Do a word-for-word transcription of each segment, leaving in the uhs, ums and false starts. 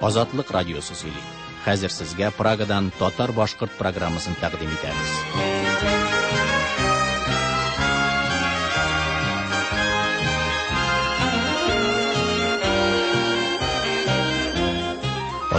Азатлык радиосы сөйли. Хәзер сезгә Прагадан татар-башкорт программасын тәкъдим итәбез.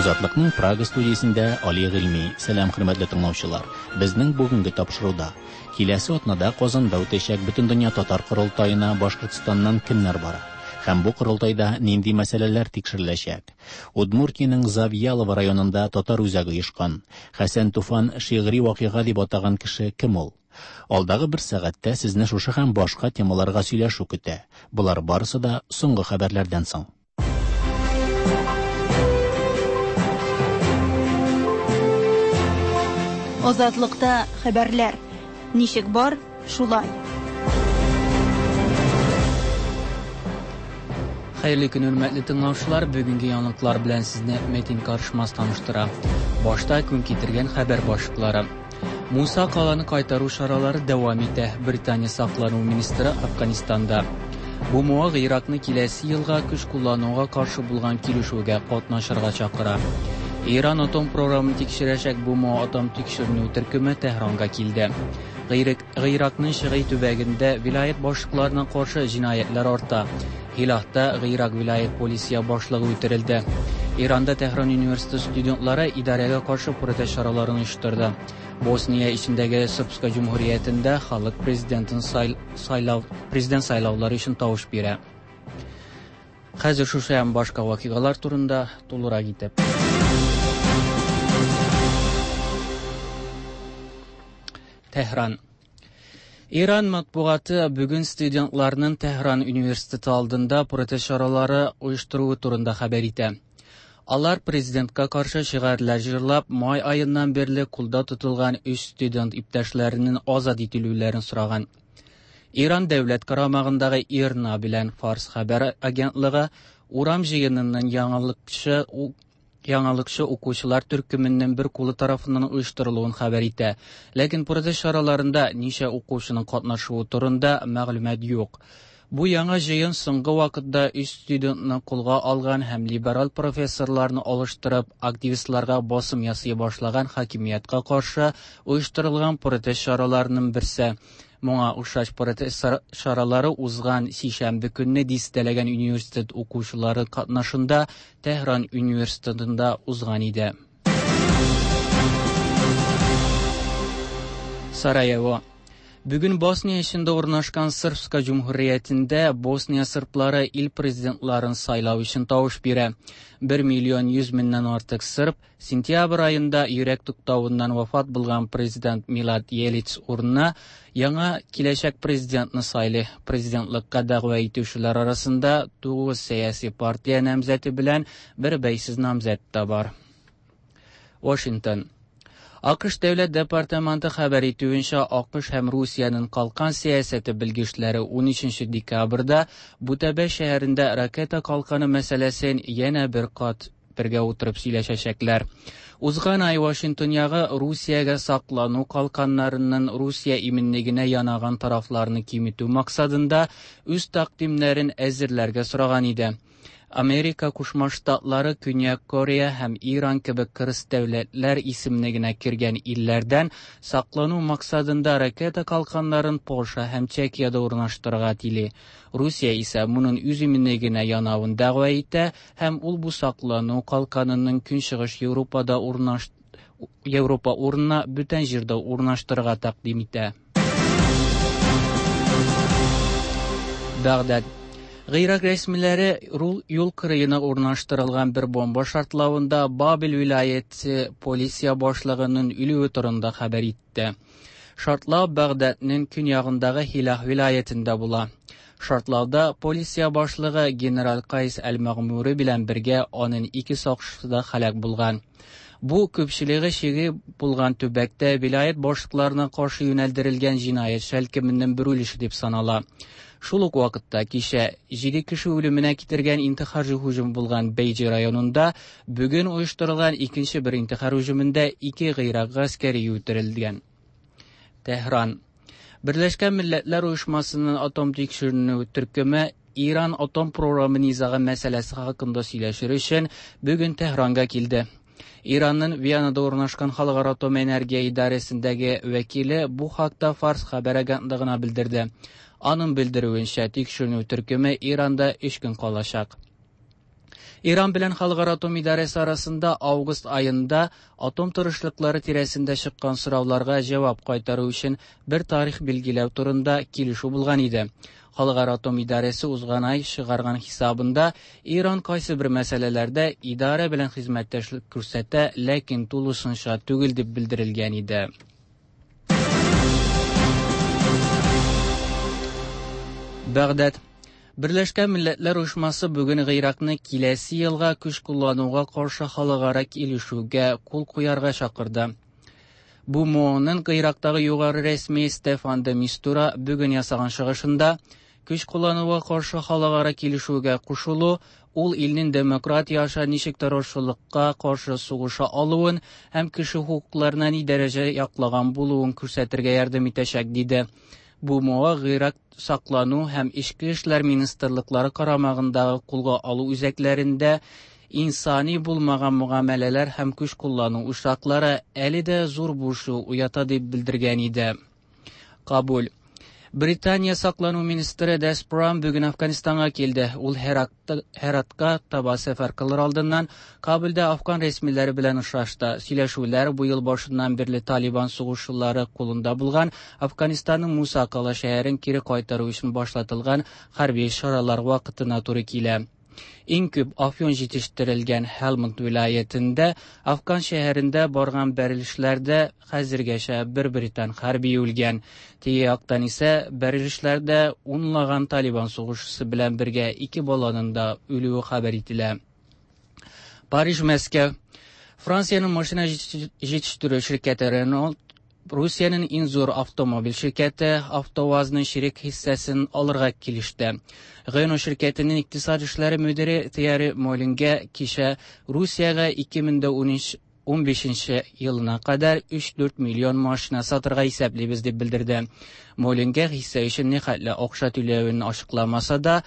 Азатлыкның Прага студиясендә Али Гыйльми. Сәлам, хөрмәтле тыңлаучылар. Безнең бүгенге тапшыруда киләсе атнада Казанда үтәчәк Бөтендөнья татар корылтаена Башкортстаннан кемнәр бара? Һәм бу корылтайда нинди мәсьәләләр тикшереләчәк? Удмуртиянең Завьялово районында татар үзәге оешкан. Хәсән Туфан шигъри вакыйга дип атаган кеше кем ул? Алдагы бер сәгатьтә сезне шушы һәм башка темаларга сөйләшү көтә. Болар барысы да соңгы хәбәрләрдән соң. Азатлыкта хәбәрләр. Ничек бар, шулай. Хәерле көн, хөрмәтле тыңлаучылар. Бүгенге яңалыклар белән сезне Метин Карышмас таныштыра. Башта көн китергән хәбәр башлыклары. Муса Каланы кайтару чаралары дәвам итә. Британия саклану министры Афганистанда. Бу муаг Иракны киләсе елга көч куллануга каршы булган килешүгә катнашырга чакыра. Иран атом програмын тикшерәчәк БМО атом тикшеренү төркеме Тәһранга килде. Гыйракның шигый төбәгендә вилаят башлыкларына каршы җинаятьләр арта. Хилахта Гыйрак вилаят полиция башлыгы үтерелде. Иранда Тәһран университеты студентлары идарәгә каршы протест чараларын оештырды. Босния эчендәге Српска җөмһүриятендә халык президентын сайлау президент сайлаулары өчен тавыш бирә. Хәзер шушы һәм башка вакыйгалар турында тулырак итеп. Тәһран. Иран матбугаты бүген студентларның Тәһран университеты алдында протест чаралары оештыруы турында хәбәр итә. Алар президентка каршы шигарьләр җырлап, май аеннан бирле кулда тотылган өч студент иптәшләренең азат ителүләрен сораган. Иран дәүләт карамагындагы ИРНА белән Фарс хәбәр агентлыгы урам җыенының яңалыкчы яңалыкчы укучылар төркеменең бер кулы тарафыннан оештырылуын хәбәр итә. Ләкин протест чараларында ничә укучының катнашуы турында мәгълүмат юк. Бу яңа җыен соңгы вакытта өч студентны кулга алган һәм либерал профессорларны алыштырып, активистларга басым ясый башлаган хакимияткә каршы оештырылган протест чараларының берсе. Моңа охшаш протест чаралары узган сишәмбе көнне дистәләгән университет укучылары катнашында Тәһран университетында узган иде. Сараево. Бүген Босния эчендә урнашкан Српска җөмһүриятендә Босния сырплары ил президентларын сайлау өчен тавыш бирә. бер миллион йөз меңнән артык сырп сентябрь аенда йөрәк туктавыннан вафат булган президент Милад Елиц урынына яңа киләчәк президентны сайлый. Президентлыкка дәгъва итүчеләр арасында тугыз сәяси партия намзәте белән бер бәйсез намзәт тә бар. Вашингтон. АКШ Дәүләт департаменты хәбәр итүенчә, АКШ һәм Русиянең калкан сәясәте белгечләре унөченче декабрьдә Бутәбә шәһәрендә ракета калканы мәсьәләсен янә бер кат бергә утырып сөйләшәчәкләр. Узган ай Вашингтон ягы Русиягә саклану калканнарының Русия иминлегенә янаган тарафларны киметү максатында үз тәкъдимнәрен әзерләргә сораган иде. Америка Кушма Штатлары, Көньяк Корея һәм Иран кебек кырыс дәүләтләр исемлегенә кергән илләрдән саклану максатында ракета калканнарын Польша һәм Чехиядә урнаштырырга тели. Русия исә моның үз иминлегенә янавын дәгъва итә һәм ул бу саклану калканының Көнчыгыш Европада урнаш Европа урынына бүтән җирдә урнаштырырга тәкъдим итә. Багдад. Гыйрак рәсмиләре юл кырыена урнаштырылган бер бомба шартлавында Бабил вилаяте полиция башлыгының үлүе турында хәбәр итте. Шартлау Багдадның көньягындагы Хилах вилаятендә була. Шартлауда полиция башлыгы генерал Кайс әл-Мәгъмури белән бергә аның ике сакчысы да һәлак булган. Бу күпчелеге шиги булган төбәктә вилаят башлыкларына каршы юнәлдерелгән җинаять шәлкеменең бер өлеше дип санала. Шул ук вакытта кичә җиде кеше үлеменә китергән интихар һөҗүме булган Бәйҗи районында бүген оештырылган икенче бер интихар һөҗүмендә ике гыйрак гаскәре үтерелгән. Тәһран. Берләшкән Милләтләр Оешмасының атом тикшеренү төркеме İran atom programı nizağı məsələsi haqqında söyləşir üçün bugün Tehranğa kildi. İranın Viyanada ornaşqan Xalqara Atom Energiya İdarəsindəki vəkili bu haqda Fars xəbər agentlığına bildirdi. Onun bildirüyünçə tikşirünüv türkümü İranda üç gün qalacaq. İran bilan Xalqara Atom İdarəsi arasında avqust ayında atom tırışlıqları tirəsində çıxan soravlarga cavab qaytarу üçün bir tarix belgiləv turunda kelişüv bulğan idi. Xalqara Atom İdarəsi uzğan ay шығарған hesabında İran qaysı bir məsələlərdə idarə bilan xidmətdaşlıq күрсәтә, ләкин тулысынча түгел дип bildirilgan idi. Bağdad. Birləşkən Millətlər Uyuşması bugün Irakны киләсе елга көч куллануга каршы халыкара килешүгә кул куярга чакырды. Бу МОНның Ирактагы югары рәсми Стефан де Мистура бүген ясаган чыгышында көч куллануга каршы халыкара килешүгә кушылу ул илнең демократия аша ничек террорчылыкка каршы сугыша алуын һәм кеше хокукларына ни дәрәҗә яклаган булуын күрсәтергә ярдәм итәчәк диде. Бу МОА Ирак саклану һәм эчке эшләр министрлыклары карамагындагы кулга алу үзәкләрендә инсани булмаган мөгамәләләр һәм көч куллану очраклары әле дә зур борчу уята дип белдергән иде. Кабул. Британия саклану министры Дес Брам бүген Афганистанга килде. Ул Heratка таба сәфәр кылыр алдыннан Кабулда афган рәсмиләре белән очрашты. Сөйләшүләр бу ел башыннан бирле Талибан сугышчылары кулында булган Афганистанның Муса Кала шәһәрен кире кайтару өчен башлатылган хәрби чаралар вакытына туры килә. Иң күп афyon җитештерелгән Helmand вилаятендә Афган шәһәрендә барган бәрелешләрдә хәзергәчә бер британ хәрби үлгән. Теге яктан исә бәрелешләрдә унлаган Талибан сугышчысы белән бергә ике баланың да үлүе хәбәр ителә. Париж, Мәскәү. Франциянең машина җитештерү ширкәте Renault Rusiyanın eng zo'r avtomobil şirkəti AvtoVAZның şirik hissəsini alırğa kilişdi. Renault şirkətinin iqtisad işləri müdiri Thierry Molingə kişə Rusiyaga ikki ming o'n beshinchi yılına qədər üç-dörd milyon maşina satırğa hesablaymiz deb bildirdi. Molingə hissə üçün nə xətlə oqşa tüləyini açıqlamasa da,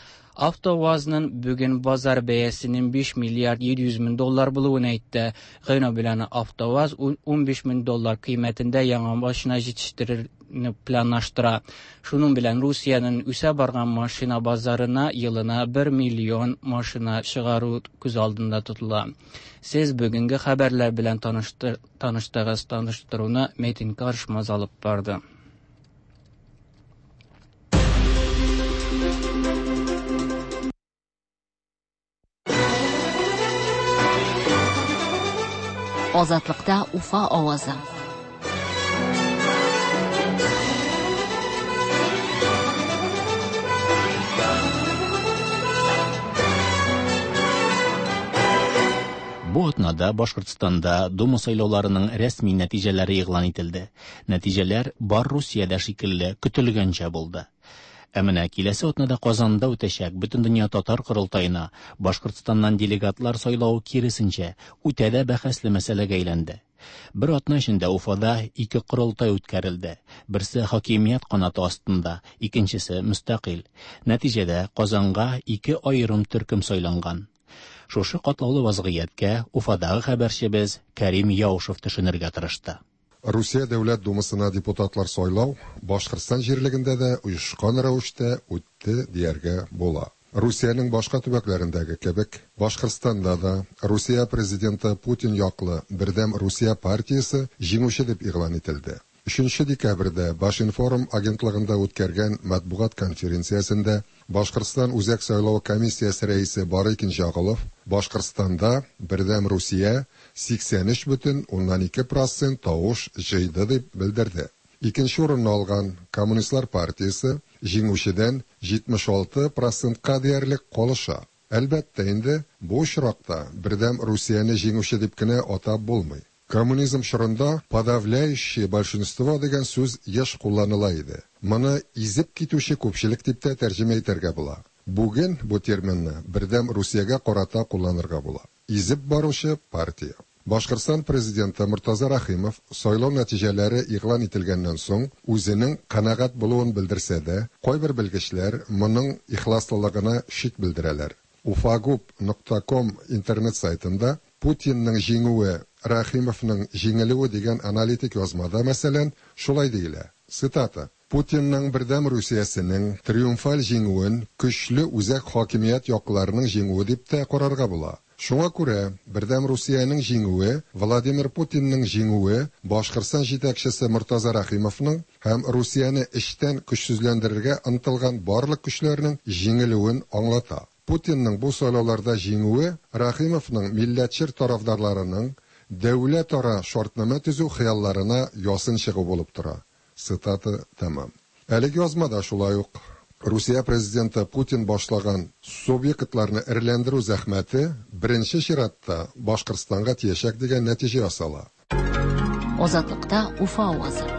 AvtoVAZның bugün bazar bəyəsinin besh milliard yetti yuz ming dollar bulуын әйтте. Renault bilan AvtoVAZ o'n besh ming dollar qiymətində яңа машина җитештерүне планлаштыра. Шуның белән Русиянең үсә барган машина базарына елына бер миллион машина чыгару күз алдында тотыла. Сез бүгенге хәбәрләр белән таныштыгыз. Таныштыруны Metin Karışmaz алып барды. Озатлыкта Уфа авазы. Бу атнада Башкортстанда Дума сайлауларының рәсми нәтиҗәләре игълан ителде. Нәтиҗәләр бар Русиядә шикелле көтелгәнчә булды. Ә менә киләсе атнада Казанда үтәчәк Бөтендөнья татар корылтаена Башкортстаннан делегатлар сайлау киресенчә үтә дә бәхәсле мәсьәләгә әйләнде. Бер атна эчендә Уфада ике корылтай үткәрелде. Берсе хакимият канаты астында, икенчесе мөстәкыйль. Нәтиҗәдә Казанга ике аерым төркем сайланган. Шушы катлаулы вазгыятькә Уфадагы хәбәрчебез Кәрим Яушев төшенергә тырышты. Русия Дәүләт Думасына депутатлар сайлау Башкортстан җирлегендә дә оешкан рәвештә үтте дияргә була. Русиянең башка төбәкләрендәге кебек, Башкортстанда да Русия президенты Путин яклы Бердәм Русия партиясе җиңүче дип игълан ителде. Өченче декабрьдә Башинформ агентлыгында үткәргән матбугат конференциясендә Башкортстан Үзәк сайлау комиссиясе рәисе Барыкин Жагалов Башкортстанда Бердәм Русия сиксән өч бөтен уннан ике процент тавыш җыйды дип белдерде. Икенче урынны алган Коммунистлар партиясе җиңүчедән җитмеш алты процентка диярлек калыша. Әлбәттә инде бу очракта Бердәм Русияне җиңүче дип кенә атап булмый. Коммунизм чорында подавляющее большинство дигән сүз еш кулланыла иде. Моны изеп китүче күпчелек дип тә тәрҗемә итәргә була. Бүген бу терминны Бердәм Русиягә карата кулланырга була. Изеп баручы партия. Башкортстан президенты Мортаза Рәхимов сайлау нәтиҗәләре игълан ителгәннән соң үзенең канәгать булуын белдерсә дә, кайбер белгечләр моның ихласлылыгына шик белдерәләр. Уфагуб нокта ком интернет сайтында Путинның җиңүе, Рәхимовның җиңелүе дигән аналитик язмада, мәсәлән, шулай диелә, цитата, Путинның Бердәм Русиясенең триумфаль җиңүен көчле үзәк хакимият яклыларының җиңүе дип тә карарга була. Шуңа күрә Бердәм Русиянең җиңүе Владимир Путинның җиңүе Башкортстан җитәкчесе Мортаза Рәхимовның һәм Русияне эчтән көчсезләндерергә ынтылган барлык көчләрнең җиңелүен аңлата. Путинның бу сайлауларда җиңүе Рәхимовның милләтчел тарафдарларының дәүләтара шартнамә төзү хыялларына ясын чыгу булып тора. Цитата тәмам. Әлеге язмада шулай ук Русия президенты Путин башлаган субъектларны эреләндерү зәхмәте беренче чиратта Башкортстанга тиячәк дигән нәтиҗә ясала. Азатлыкта Уфа авазы.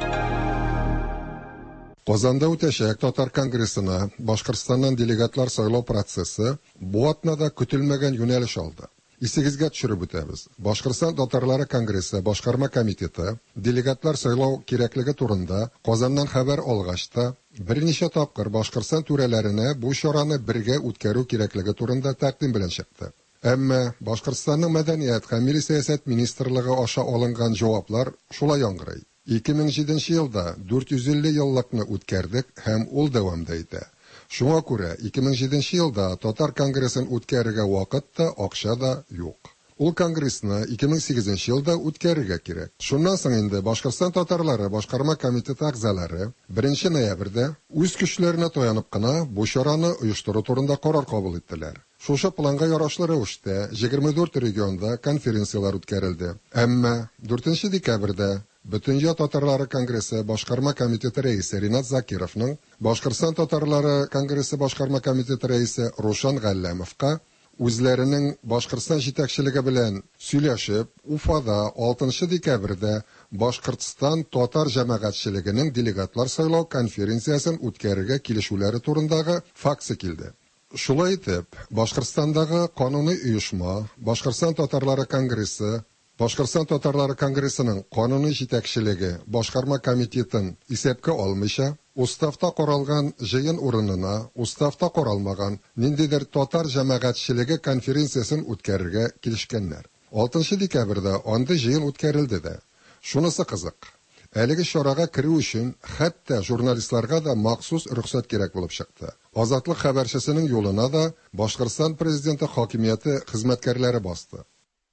Казанда үтәчәк Татар конгрессына Башкортстаннан делегатлар сайлау процессы бу атнада көтелмәгән юнәлеш алды. Исегезгә төшереп үтәбез. Башкортстан татарлары конгрессы башкарма комитеты делегатлар сайлау кирәклеге турында Казаннан хәбәр алгач та берничә тапкыр Башкортстан түрәләренә бу чараны бергә үткәрү кирәклеге турында тәкъдим белән чыкты. Әмма Башкортстанның мәдәният һәм милли сәясәт министрлыгы аша алынган җаваплар шулай яңгырый. Ике мең җиденче елда дүрт йөз илле еллыкны үткәрдек һәм ул дәвам да итә. Шуңа күрә ике мең җиденче елда Татар конгрессын үткәрергә вакыт та, акча да юк. Ул конгрессны ике мең сигезенче елда үткәрергә кирәк. Шуннан соң инде Башкортстан татарлары башкарма комитеты әгъзалары беренче ноябрьдә үз көчләренә таянып кына бу чараны оештыру турында карар кабул иттеләр. Шушы планга ярашлы рәвештә егерме дүрт регионда конференцияләр үткәрелде. Әмма дүртенче декабрьдә Бөтендөнья татарлары конгрессы башкарма комитеты рәисе Ринат Закировның Башкортстан татарлары конгрессы башкарма комитеты рәисе Рушан Галләмовка үзләренең Башкортстан җитәкчелеге белән сөйләшеп, Уфада алтынчы декабрьдә Башкортстан татар җәмәгатьчелегенең делегатлар сайлау конференциясен үткәрергә килешүләре турындагы факсы килде. Шулай итеп, Башкортстандагы кануни оешма, Башкортстан татарлары конгрессы, Башкортстан татарлары конгрессының кануни җитәкчелеге башкарма комитетын исәпкә алмыйча, уставта каралган җыен урынына уставта каралмаган ниндидер татар җәмәгатьчелеге конференциясен үткәрергә килешкәннәр. Алтынчы декабрьдә андый җыен үткәрелде дә. Шунысы кызык. Әлеге чарага керү өчен хәтта журналистларга да махсус рөхсәт кирәк булып чыкты. Азатлык хәбәрчесенең юлына да Башкортстан президенты хакимияте хезмәткәрләре басты.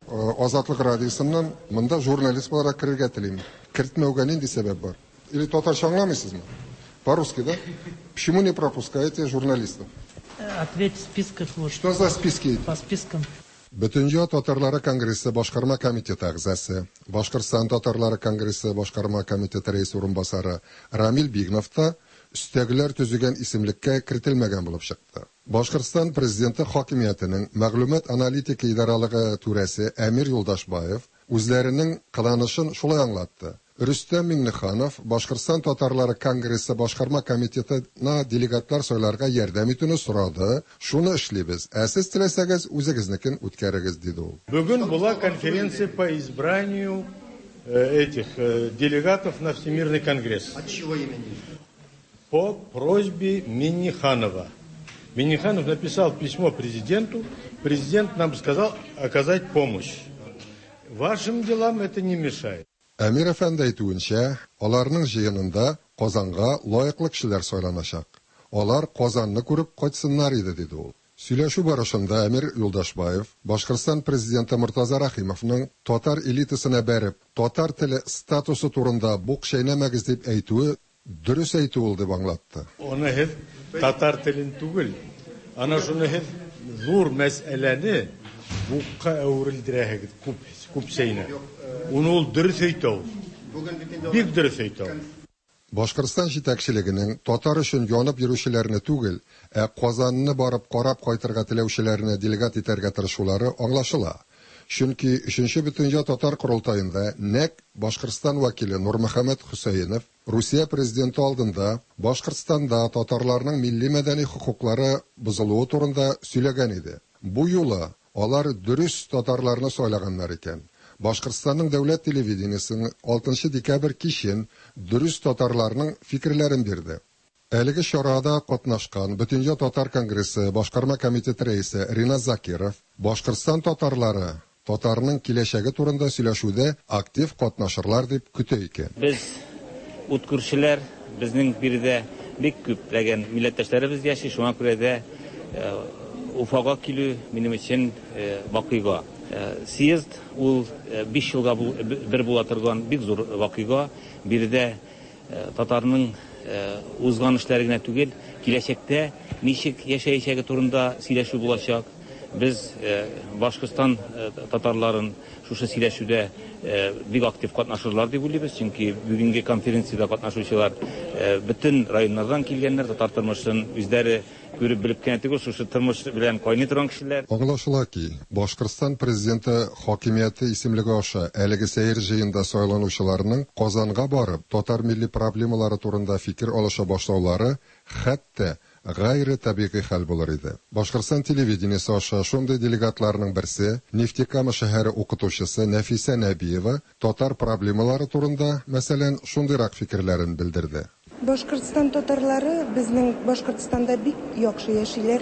Азатлык радиосыннан монда журналист буларак керергә телим. Кертмәүгә нинди сәбәп бар? Или татарча аңламыйсызмы? По-русски, да? Почему не пропускаете журналистов? Ответь в списках вот. Что за списки? По спискам. Бөтендөнья татарлары конгрессы башкарма комитеты әгъзасы, Башкортстан татарлары конгрессы башкарма комитеты рәисе урынбасары Рамил Бигнов та өстәгеләр төзегән исемлеккә кертелмәгән булып чыкты. Башкортстан президенты хакимиятенең мәгълүмат аналитика идаралыгы түрәсе Әмир Юлдашбаев үзләренең кыланышын шулай аңлатты. Рөстәм Миңнеханов Башкортстан татарлары конгрессы башкарма комитетына делегатлар сайларга ярдәм итүне сорады. Шуны эшлибез. Ә сез теләсәгез үзегезнекен үткәрегез, диде ул. Бүген була конференция по избранию этих делегатов на Всемирный конгресс. От чего имени? По просьбе Минниханова. Минниханов написал письмо президенту. Президент нам сказал оказать помощь. Вашим делам это не мешает. Әмир әфәнде әйтүенчә, аларның җыенында Казанга лаеклы кешеләр сайланачак. Алар Казанны күреп кайтсыннар иде, диде ул. Сөйләшү барышында Әмир Юлдашбаев Башкортстан президенты Мортаза Рәхимовның татар элитасына бәреп, татар теле статусы турында бук чәйнәмәгез дип әйтүе дөрес әйтү ул дип аңлатты. Аны һеҙ татар телен түгел, ана шуны һеҙ ҙур мәсьәләне буҡҡа әүерелдерәһегеҙ күп, күп сәйнә. Уны ул дөрөҫ әйтә ул. Бик дөрөҫ әйтә ул. Башкортстан җитәкчелегенең татар өчен янып йөрүчеләрне түгел, ә Казанны барып карап кайтырга теләүчеләрне делегат итәргә тырышулары аңлашыла. Чөнки өченче бөтендөнья татар корылтаенда нәкъ Башкортстан вәкиле Нурмөхәммәт Хөсәенов Русия президенты алдында Башкортстанда татарларның милли мәдәни хокуклары бозылуы турында сөйләгән иде. Бу юлы алар дөрес татарларны сайлаганнар икән. Башкортстанның дәүләт телевидениесының алтынчы декабрь кичен дөрес татарларның фикерләрен бирде. Әлеге чарада катнашкан Бөтендөнья татар конгрессы башкарма комитеты рәисе Ринат Закиров Башкортстан татарлары татарның киләчәге турында сөйләшүдә актив катнашырлар дип көтә икән. Без ут күршеләр, безнең биредә бик күпләгән милләттәшләребез яши, шуңа күрә дә Уфага килү минем өчен вакыйга. Съезд ул биш елга бер була торган бик зур вакыйга. Биредә татарның узган эшләре генә түгел, киләчәктә ничек яшәячәге турында сөйләшү булачак. Без Башкортстан татарларын шушы сөйләшүдә бик актив катнашырлар дип уйлыйбыз, чөнки бүгенге конференциядә катнашучылар бөтен районнардан килгәннәр, татар тормышын үзләре күреп белеп кенә түгел, шушы тормыш белән кайный торган кешеләр. Аңлашыла ки, Башкортстан президенты хакимияте исемлеге аша әлеге сәер җыенда сайланучыларның Казанга барып татар милли проблемалары турында фикер алыша башлаулары хәтта гайре табигый хәл булыр иде. Башкортстан телевидениесе аша шундый делегатларның берсе Нефтекама шәһәре укытучысы Нәфисә Нәбиева татар проблемалары турында, мәсәлән, шундыйрак фикерләрен белдерде. Башкортстан татарлары безнең Башкортстанда бик яхшы яшиләр.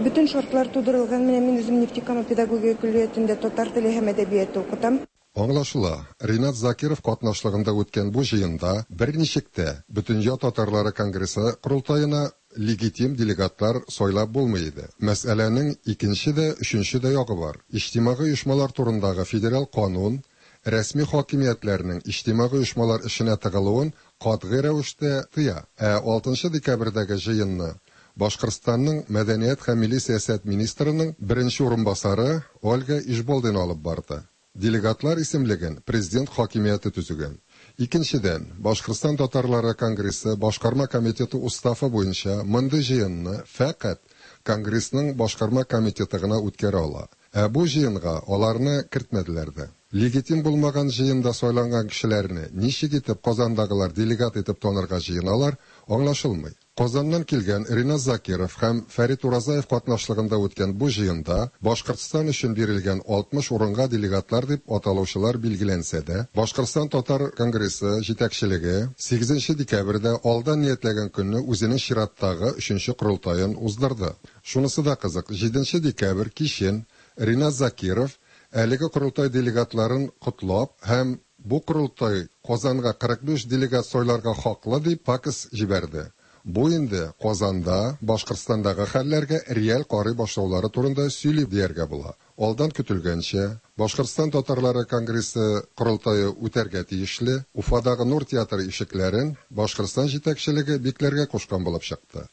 Бөтен шартлар тудырылган. Менә мин үзем Нефтекама педагогия көллиятендә татар теле һәм әдәбияты укытам. Аңлашыла, Ринат Закиров катнашлыгында үткән бу җыенда берничек тә Бөтендөнья татарлары конгрессы корылтаена легитим делегатлар сайлап булмый иде. Мәсьәләнең икенче дә, өченче дә ягы бар. Иҗтимагый оешмалар турындагы федераль канун рәсми хакимиятләрнең иҗтимагый оешмалар эшенә тыгылуын катгый рәвештә тыя. Ә алтынчы декабрьдәге җыенны Башкортстанның мәдәният һәм милли сәясәт министрының беренче урынбасары Ольга Ишболдина алып барды. Делегатлар исемлеген президент хакимияте төзегән. Икенчедән, Башкортстан татарлары конгрессы башкарма комитеты уставы буенча мондый җыенны фәкать конгрессның башкарма комитеты гына үткәрә ала. Ә бу җыенга аларны кертмәделәр дә. Легитим булмаган җыенда сайланган кешеләрне ничек итеп Казандагылар делегат итеп танырга җыеналар, аңлашылмый. Казаннан килгән Ринат Закиров һәм Фәрит Уразаев катнашлыгында үткән бу җыенда Башкортстан өчен бирелгән алтмыш урынга делегатлар дип аталучылар билгеләнсә дә, Башкортстан татар конгрессы җитәкчелеге сигезенче декабрьдә алдан ниятләгән көнне үзенең чираттагы өченче корылтаен уздырды. Шунысы да кызык, җиденче декабрь кичен Ринат Закиров әлеге корылтай делегатларын котлап һәм бу корылтай Казанга кырык биш делегат сайларга хаклы дип факс җибәрде. Бу инде Казанда, Башкортстандагы хәлләргә реаль карый башлаулары турында сөйли дияргә була. Алдан көтелгәнчә, Башкортстан татарлары конгрессы корылтае үтәргә тиешле Уфадагы Нур театры ишекләрен Башкортстан җитәкчелеге бикләргә кушкан булып чыкты.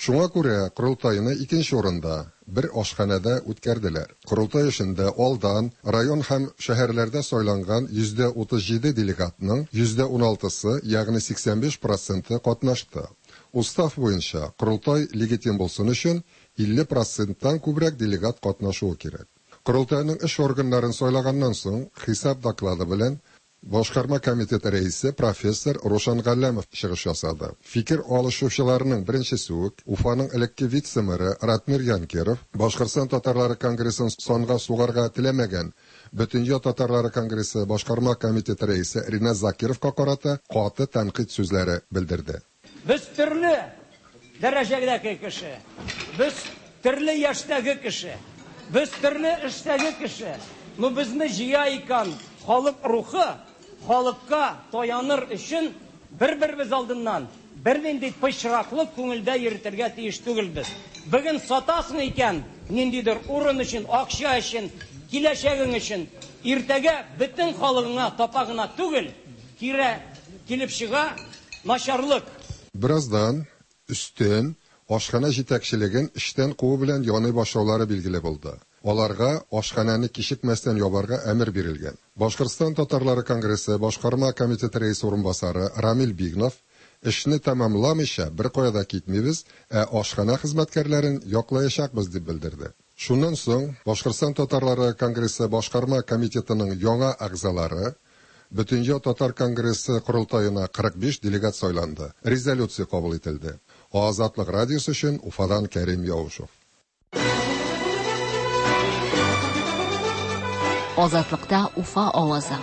Шуңа күрә корылтайны икенче урында, бер ашханәдә үткәрделәр. Корылтай эшендә алдан район һәм шәһәрләрдә сайланган йөздә утыз җиде делегатның йөздә уналтысы, ягъни сиксән биш проценты катнашты. Устав буенча корылтай легитим булсын өчен илле проценттан күбрәк делегат катнашуы кирәк. Корылтайның эш органнарын сайлаганнан соң хисап доклады белән Башкарма комитеты рәисе профессор Рушан Галләмов чыгыш ясады. Фикер алышучыларның беренчесе үк Уфаның элекке вице-мэры Ратмир Янкеров Башкортстан татарлары конгрессын санга сугарга теләмәгән Бөтендөнья татарлары конгрессы башкарма комитеты рәисе Ринат Закировка карата каты тәнкыйть сүзләре белдерде. Без төрле дәрәҗәдәге кеше, без төрле яшьтәге кеше, без төрле эштәге кеше. Но безне җыя икән халык рухы, халыкка таяныр өчен бер-беребез алдыннан бернинди пычраклык күңелдә йөртергә тиеш түгелбез. Бүген сатасың икән, ниндидер урын өчен, акча өчен, киләчәгең өчен, иртәгә бөтен халыгыңа тапа гына түгел, кире килеп чыга начарлык. Бераздан өстен ашхана җитәкчелеген эштән куу белән яный башлаулары билгеле булды. Аларга ашхананы кичекмәстән ябарга әмер бирелгән. Башкортстан татарлары конгрессы башкарма комитеты рәисе урынбасары Рамил Бигнов эшне тәмамламыйча бер кая да китмибез, ә ашхана хезмәткәрләрен яклаячакбыз дип белдерде. Шуннан соң Башкортстан татарлары конгрессы башкарма комитетының яңа әгъзалары Бөтендөнья татар конгрессы корылтаена кырык биш делегат сайланды. Резолюция кабул ителде. Азатлык радиосы өчен Уфадан Кәрим Яушев. Азатлыкта Уфа авазы.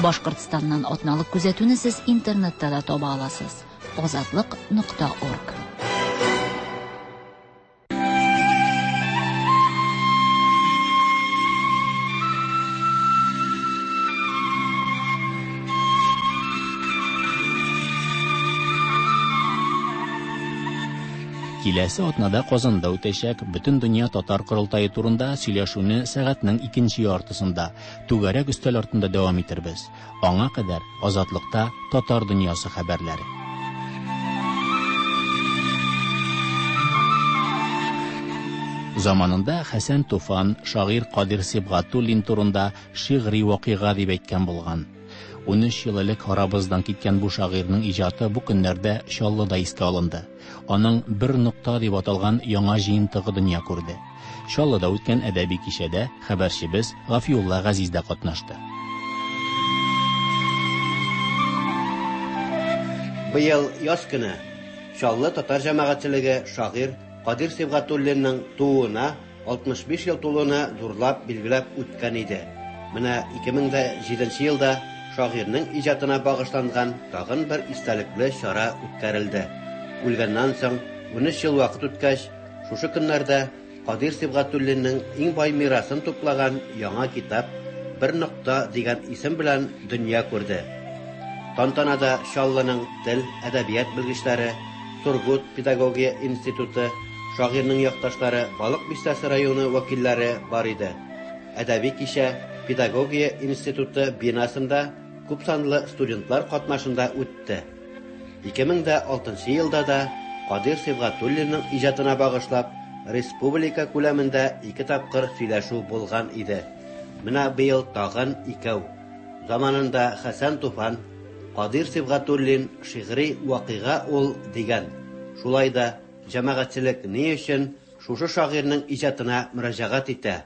Башкортстаннан атналык күзәтүне сез интернетта да таба аласыз. Азатлык нокта орг. Киләсе атнада Казанда үтәчәк Бөтендөнья татар корылтае турында сөйләшүне сәгатьнең икенче яртысында түгәрәк өстәл артында дәвам итербез. Аңа кадәр Азатлыкта татар дөньясы хәбәрләре. Заманында Хәсән Туфан шагыйрь Кадир Сибгатуллин турында шигъри вакыйга дип әйткән булган. Унөч ел элек арабыздан киткән бу шагыйрьнең иҗаты бу көннәрдә Чаллыда искә алынды. Аның «Бер нокта» дип аталган яңа җыентыгы дөнья күрде. Чаллыда үткән әдәби кичәдә хәбәрчебез Гафиулла Газиз дә катнашты. Быел яз көне Чаллы татар җәмәгатьчелеге шагыйрь Кадир Сибгатуллинның тууына алтмыш биш ел тулуына зурлап билгеләп үткән иде. Менә ике мең дә җиденче елда шагыйрьнең иҗатына багышланган тагын бер истәлекле чара үткәрелде. Үлгәннән соң унөч ел вакыт үткәч, шушы көннәрдә Кадир Сибгатуллинның иң бай мирасын туплаган яңа китап «Бер нокта» дигән исем белән дөнья күрде. Тантанада Чаллының тел, әдәбият белгечләре, Сургут педагогия институты, шагыйрьнең якташлары, Балык бистәсе районы вәкилләре бар иде. Әдәби кичә Педагогия институты бинасында күп санлы студентлар катнашында үтте. Ике мең дә алтынчы елда да Кадир Сибгатуллинның иҗатына багышлап республика күләмендә ике тапкыр сөйләшү булган иде. Менә быел тагын икәү. Заманында Хәсән Туфан Кадир Сибгатуллин шигъри вакыйга ул дигән. Шулай да җәмәгатьчелек ни өчен шушы шагыйрьнең иҗатына мөрәҗәгать итә?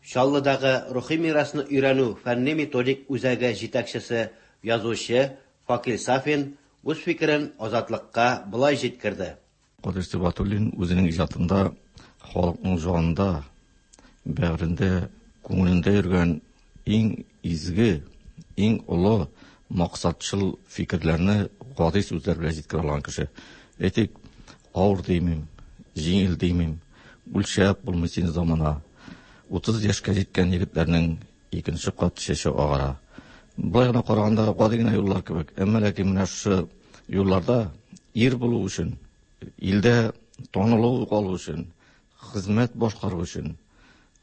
Чаллыдагы рухи мирасны өйрәнү фәнни методик үзәге җитәкчесе язучы Факил Сафин үз фикерен Азатлыкка былай җиткерде. Кадир Сибгатуллин үзенең иҗатында халыкның җанында, бәгырендә, күңелендә йөргән иң изге, иң олы максатчыл фикерләрне гади сүзләр белән җиткерә алган кеше. Әйтик, авыр димим, җиңел димим, үлчәп булмый син замана. Утыз яшькә җиткән егетләрнең икенче кат чәче агара. Былай гына караганда гади генә юллар кебек, әмма ләкин менә шушы юлларда ир булу өчен, илдә танылу калу өчен, хезмәт башкару өчен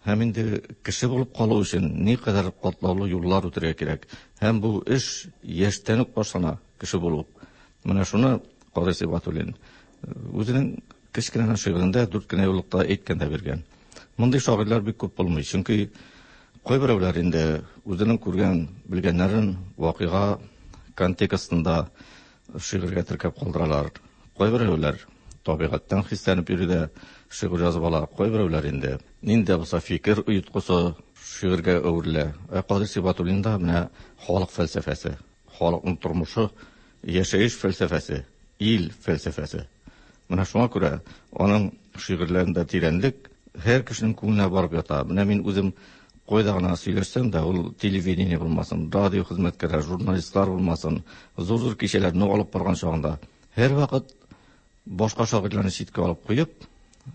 һәм инде кеше булып калу өчен никадәр катлаулы юллар үтәргә кирәк. Һәм бу эш яшьтән үк башлана, кеше булу. Менә шуны Кадир Сибгатуллин үзенең кечкенә шигырендә дүрт кенә юллыкта әйткән дә биргән. Мондый шагыйрьләр бик күп булмый, чөнки кайберәүләр инде үзенең күргән, белгәннәрен вакыйга контекстында шигырьгә теркәп калдыралар. Кайберәүләр табигатьтән хисләнеп йөри дә шигырь язып ала. Кайберәүләр инде нинди дә булса фикер оеткысы шигырьгә әверелә. Ә Кадир Сибгатуллинда менә халык фәлсәфәсе, халыкның тормышы, яшәеш фәлсәфәсе, ил фәлсәфәсе. Менә шуңа күрә аның шигырьләрендә тирәнлек һәр кешенең күңеленә барып ята. Менә мин үзем кайда гына сөйләшсәм дә, ул телевидение булмасын, радио хезмәткәрләре, журналистлар булмасын, зур-зур кичәләрне алып барган чагында һәрвакыт башка шагыйрьләрне читкә алып куеп,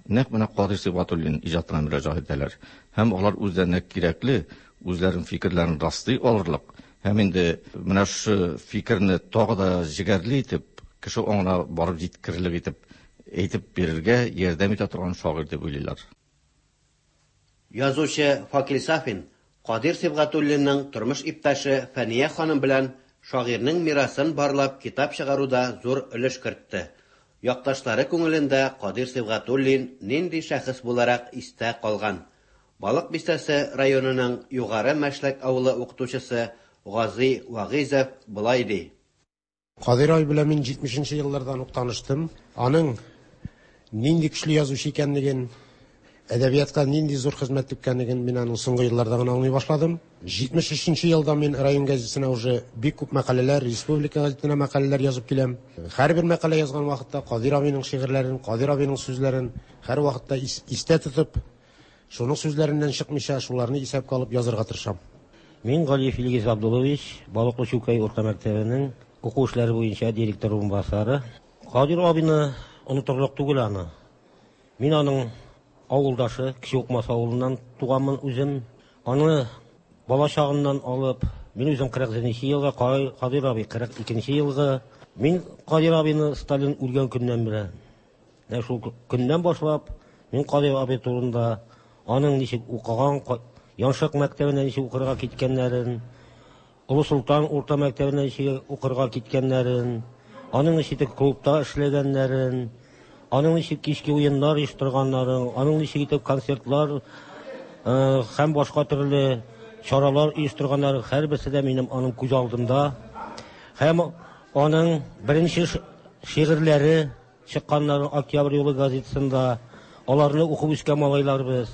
нәкъ менә Кадир Сибгатуллин иҗатына мөрәҗәгать итәләр. Һәм алар үзләренә кирәкле, үзләренең фикерләрен раслый алырлык, һәм инде менә шушы фикерне тагы да җегәрле итеп, кеше аңына барып җиткерерлек итеп әйтеп бирергә ярдәм итә торган шагыйрь дип уйлыйлар. Язучы Факил Сафин Кадир Сибгатуллинның тормыш иптәше Фәния ханым белән шагыйрьнең мирасын барлап китап чыгаруда зур өлеш кертте. Якташлары күңелендә Кадир Сибгатуллин нинди шәхес буларак истә калган? Балык бистәсе районының Югары Мәшләк авылы укытучысы Гази Вагизов былай ди. Кадир абый белән мин җитмешенче еллардан ук таныштым. Аның нинди көчле язучы икәнлеген, әдәбиятка нинди зур хезмәт иткәнлеген мин аның соңгы елларда гына аңлый башладым. җитмеш өченче елда мин район газетасына уже бик күп мәкаләләр, республика газетына мәкаләләр язып киләм. Һәрбер мәкалә язган вакытта Кадир абыйның шигырьләрен, Кадир абыйның сүзләрен һәр вакытта истә тотып, шуның сүзләреннән чыкмыйча, шуларны исәпкә алып язырга тырышам. Мин Галиев Илгиз Абдуллович, Балыклы Чүкәй урта мәктәбенең уку эшләре буенча директор урынбасары. Кадир абыйны онытырлык түгел аны. Мин аның авылдашы, Кече Укмас авылыннан туганмын үзем. Аны бала чагыннан алып, мин үзем кырык җиденче елгы, Кадир абый кырык икенче елгы. Мин Кадир абыйны Сталин үлгән көннән беләм. Менә шул көннән башлап, мин Кадир абый турында аның ничек укыган, Яншык мәктәбенә ничек укырга киткәннәрен, Олы Солтан урта мәктәбенә ничек укырга киткәннәрен, аның ничек клубта эшләгәннәрен, аның ничек кичке уеннар оештырганнарын, аның ничек итеп концертлар һәм башка төрле чаралар оештырганнары һәрберсе дә минем аның күз алдымда. Һәм аның беренче шигырьләре чыкканнары Октябрь юлы газетасында, аларны укып үскән малайларбыз.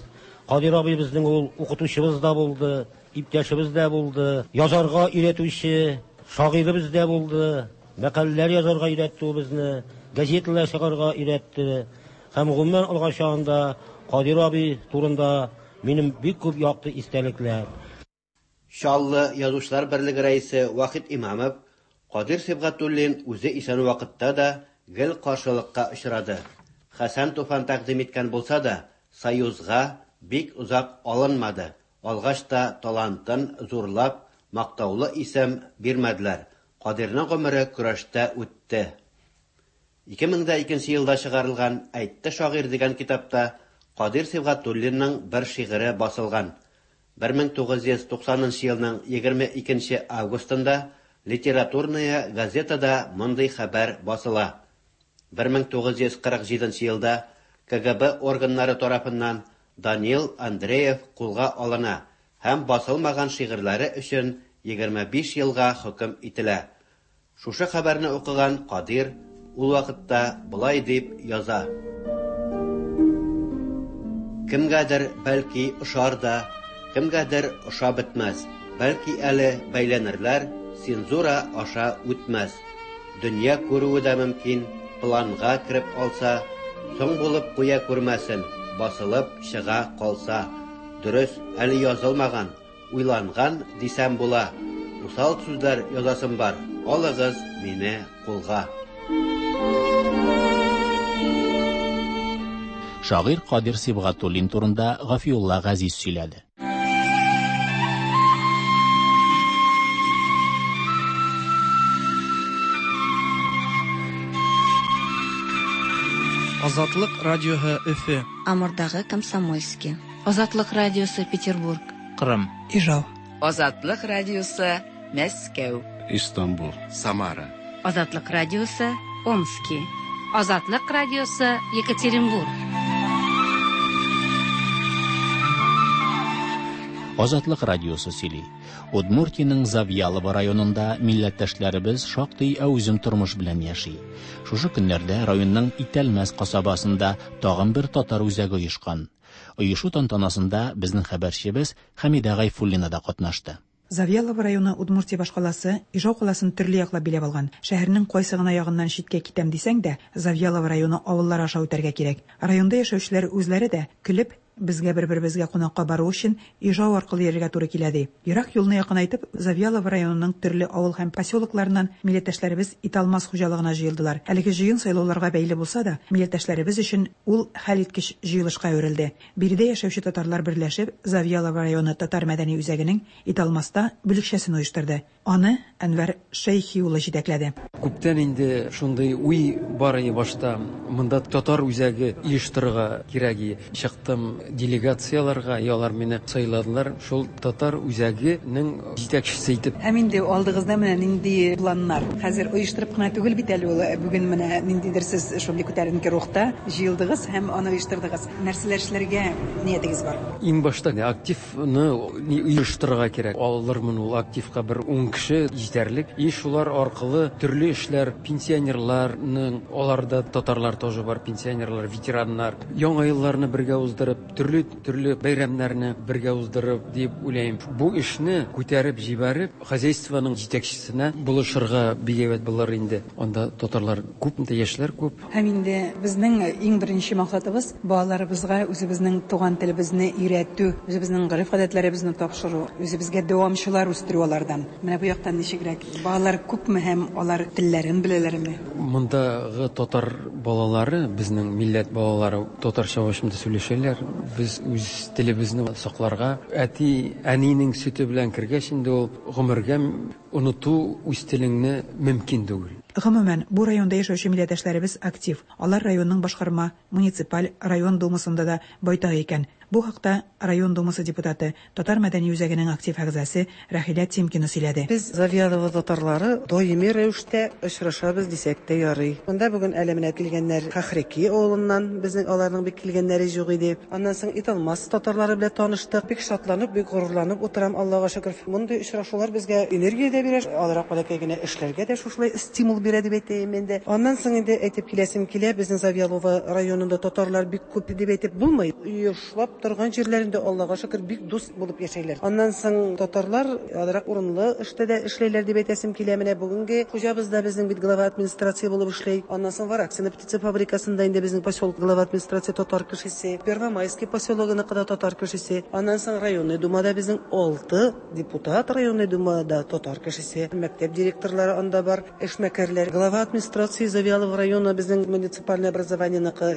Кадир абый безнең ул укытучыбыз да булды, иптәшебез дә булды, язарга өйрәтүче шагыйребез дә булды, мәкаләләр язарга өйрәтте ул безне, газеталар чыгарга өйрәтте. Һәм гомумән алган чагында Кадир абый турында минем бик күп якты истәлекләр. Чаллы Язучылар берлеге рәисе Вахит Имамов Кадир Сибгатуллин үзе исән вакытта да гел каршылыкка очрады. Хәсән Туфан тәкъдим иткән булса да, Союзга бик озак алынмады. Алгач та талантын зурлап, мактаулы исем бирмәделәр. Кадирның гомере көрәштә үтте. ике мең дә икенче елда чыгарылган Әйтте шагыйрь дигән китапта Кадир Сибгатуллинның бер шигыре басылган. бер мең тугыз йөз туксанынчы елның егерме икенче августында Литературная газетада мондый хәбәр басыла. бер мең тугыз йөз кырык җиденче елда К Г Б органнары тарафыннан Данил Андреев кулга алына һәм басылмаган шигырьләре өчен егерме биш елга хөкем ителә. Шушы хәбәрне укыган Кадир ул вакытта болай дип яза: Кемгәдер бәлки ошар да, кемгәдер ошап бетмәс, бәлки әле бәйләнерләр, цензура аша үтмәс. Дөнья күрүе дә мөмкин, планга кереп алса, соң булып куя күрмәсен, басылып чыга калса. Дөрес, әле язылмаган, уйланган дисәм була. Усал сүзләр язасым бар, алыгыз мине кулга. Шагыйрь Кадир Сибгатуллин турында Гафиулла Газиз сөйләде. Азатлык радиоһы Өфе. Амурдагы Комсомольский. Азатлык радиосы Петербург. Кырым. Ижау. Азатлык радиосы Мәскәү. Истанбул. Самара. Азатлык радиосы Омски. Азатлык радиосы Екатеринбург. Азатлык радиосы сөйли. Удмуртиянең Завьялово районында милләттәшләребез шактый әүзем тормыш белән яши. Шушы көннәрдә районның Итәлмәс касабасында тагын бер татар үзәге оешкан. Оешу тантанасында безнең хәбәрчебез Хәмидә Гайфуллина да катнашты. Завьялово районы Удмуртия башкаласы Ижау каласын төрле яклап биләп алган. Шәһәрнең кайсы гына ягыннан читкә китәм дисәң дә, Завьялово районы авыллары аша үтәргә кирәк. Районда яшәүчеләр үзләре дә көлеп, безгә бер-беребезгә кунакка бару өчен Ижау аркылы йөрергә туры килә ди. Ерак юлны якынайтып, Завьялово районының төрле авыл һәм поселокларыннан милләттәшләребез Италмас хуҗалыгына җыелдылар. Әлеге җыен сайлауларга бәйле булса да, милләттәшләребез өчен ул хәлиткеч җыелышка әверелде. Биредә яшәүче татарлар берләшеп, Завьялово районы татар мәдәни үзәгенең Италмаста бүлекчәсен оештырды. Аны Әнвәр Шәйхи улы җитәкләде. Күптән инде шундый уй бар иде башта. Монда татар үзәге оештырырга кирәк иде. Чыктым делегацияларга, алар мине сайладылар. Шул татар үзәгенең җитәкчесе итеп. Һәм инде алдыгызда менә нинди планнар? Хәзер оештырып кына түгел бит әле ул. Бүген менә ниндидер сез шундый күтәренке рухта җыелдыгыз һәм аны оештырдыгыз. Нәрсәләр эшләргә ниятегез бар? Иң башта активны оештырырга кирәк. Алырмын ул активка бер ун кеше җитәрлек. И шулар аркылы төрле эшләр, пенсионерларның, алар да татарлар Картлар тоже бар, пенсионерлар, ветераннар. Яңа елларны бергә уздырып, төрле-төрле бәйрәмнәрне бергә уздырып дип уйлыйм. Бу эшне күтәреп җибәреп, хозяйствоның җитәкчесенә булышырга бик әйбәт булыр инде. Анда татарлар күп, яшьләр күп. Һәм инде безнең иң беренче максатыбыз балаларыбызга үзебезнең туган телебезне өйрәтү, үзебезнең гореф-гадәтләребезне тапшыру, үзебезгә дәвамчылар үстерү алардан. Менә бу яктан ничегрәк? Балалар күпме һәм алар телләрен беләләрме? Мондагы татар балалары, безнең милләт балалары татарча башында сөйләшәләр. Без үз телебезне сакларга, әти, әнинең сөте белән кергәч инде ул гомергә оныту үз телеңне мөмкин түгел. Гомумән, бу районда яшәүче милләттәшләребез актив. Алар районның башкарма, муниципаль, район думасында да байтак икән. Бу хакта район думасы депутаты, Татар мәдәни үзәгенең актив әгъзасы Рәхилә Тимкина сөйләде. Без Завьялово татарлары даими рәвештә очрашабыз дисәк тә ярый. Монда бүген әле менә килгәннәр Хахреки авылыннан, безнең аларның бик килгәннәре юк иде. Аннан соң Италмас татарлары белән таныштык. Бик шатланып, бик горурланып утырам, Аллага шөкер. Мондый очрашулар безгә энергия дә бирә, алрак бәләкәй генә эшләргә дә шушылай стимул бирә дип әйтәем инде. Аннан соң инде әйтеп киләсем килә, безнең Завьялово районында татарлар бик күп дип әйтеп булмый. Оешлап торган җирләрендә Аллага шөкер бик дус булып яшәйләр. Аннан соң татарлар азрак урынлы эштә дә эшләйләр дип әйтәсем килә. Менә бүгенге хуҗабыз да безнең бит глава администрация булып эшләй. Аннан соң Вараксино птица фабрикасында инде безнең поселок глава администрация татар кешесе, Первомайский поселогыныкы да татар кешесе. Аннан соң районный думада безнең алты депутат районный думада татар кешесе, мәктәп директорлары анда бар, эшмәкәрләр. Глава администрации Завьялово района безнең муниципальное образованиеныкы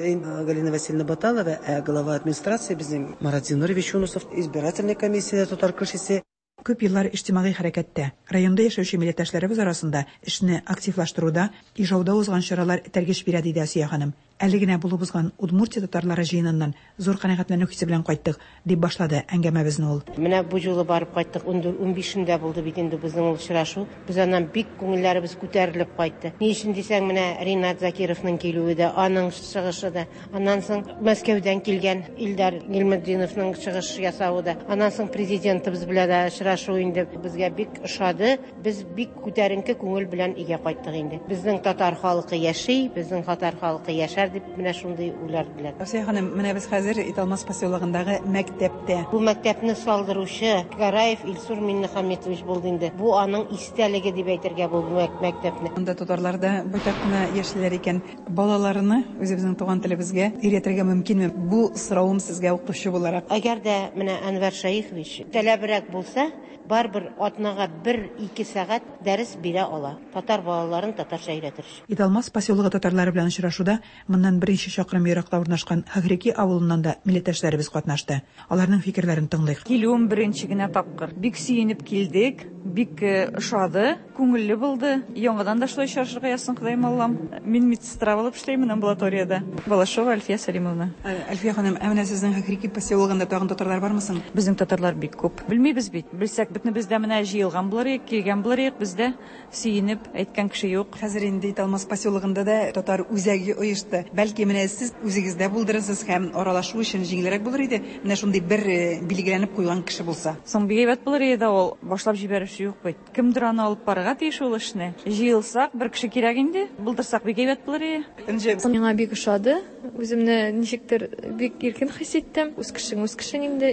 Галина Васильевна Баталова, ә глава администрации безнең Марат Зинурович Юнусов, избирательная комиссия татар кешесе. Күп еллар иҗтимагый хәрәкәттә, районда яшәүче милләттәшләребез арасында эшне активлаштыруда, Ижауда узган чаралар этәргеч бирә, диде Асия ханым. Әле генә булып узган Удмуртия татарлары җыеныннан зур канәгатьләнү хисе белән кайттык, дип башлады әңгәмәбезне ул. Менә бу юлы барып кайттык, унбишендә булды бит инде безнең ул очрашу. Без аннан бик күңелләребез күтәрелеп кайтты. Ни өчен дисәң, менә Ринат Закировның килүе дә, аның чыгышы да, аннан соң Мәскәүдән килгән Илдар Гилметдиновның чыгыш ясавы да, аннан соң президентыбыз белән дә очрашу инде безгә бик ошады. Без бик күтәренке күңел белән өйгә кайттык инде. Безнең татар халкы яши, безнең татар халкы яшәр дип менә шундый уйлар белән. Асия ханым, менә без хәзер Италмас поселогындагы мәктәптә. Бу мәктәпне салдыручы Гараев Илсур Миннехаметович булды инде. Бу аның истәлеге дип әйтергә бу мәктәпне. Монда татарлар да байтак кына яшиләр икән. Балаларны үзебезнең туган телебезгә өйрәтергә мөмкинме? Бу соравым сезгә укытучы буларак. Әгәр дә менә Әнвәр Шәехович таләбрәк булса, барыбер атнага бер-ике сәгать дәрес бирә ала. Татар балаларын татарча өйрәтер. Италмас поселогы татарлары белән очрашуда моннан беренче чакрым еракта урнашкан Хахреки авылыннан да милләттәшләребез катнашты. Аларның фикерләрен тыңлыйк. Килүем беренче генә тапкыр. Бик сөенеп килдек, бик ошады, күңелле булды. Яңадан да шулай очрашырга язсын, Ходаем Аллам. Мин медсестра булып эшләймен амбулаториядә. Балашова Альфия Салимовна. Альфия ханым, ә менә сезнең Хахреки поселогында тагын татарлар бармы соң? Безнең татарлар бик күп. Белмибез бит. Белсәк, бөтен бездә менә җыелган булыр идек, килгән булыр идек, бездә сөенеп әйткән кеше юк. Хәзер инде Италмас поселогында да татар үзәге оешты. Бәлки менә сез үзегездә булдырырсыз һәм аралашу өчен җиңелрәк булыр иде. Менә шундый бер билгеләнеп куйган кеше булса. Соң бик әйбәт булыр иде ул. Башлап җибәрүче юк бит. Кемдер аны алып барырга тиеш ул эшне. Җыелсак, бер кеше кирәк инде. Булдырсак бик әйбәт булыр иде. Миңа бик ошады. Үземне ничектер бик иркен хис иттем. Үз кешең, үз кешең инде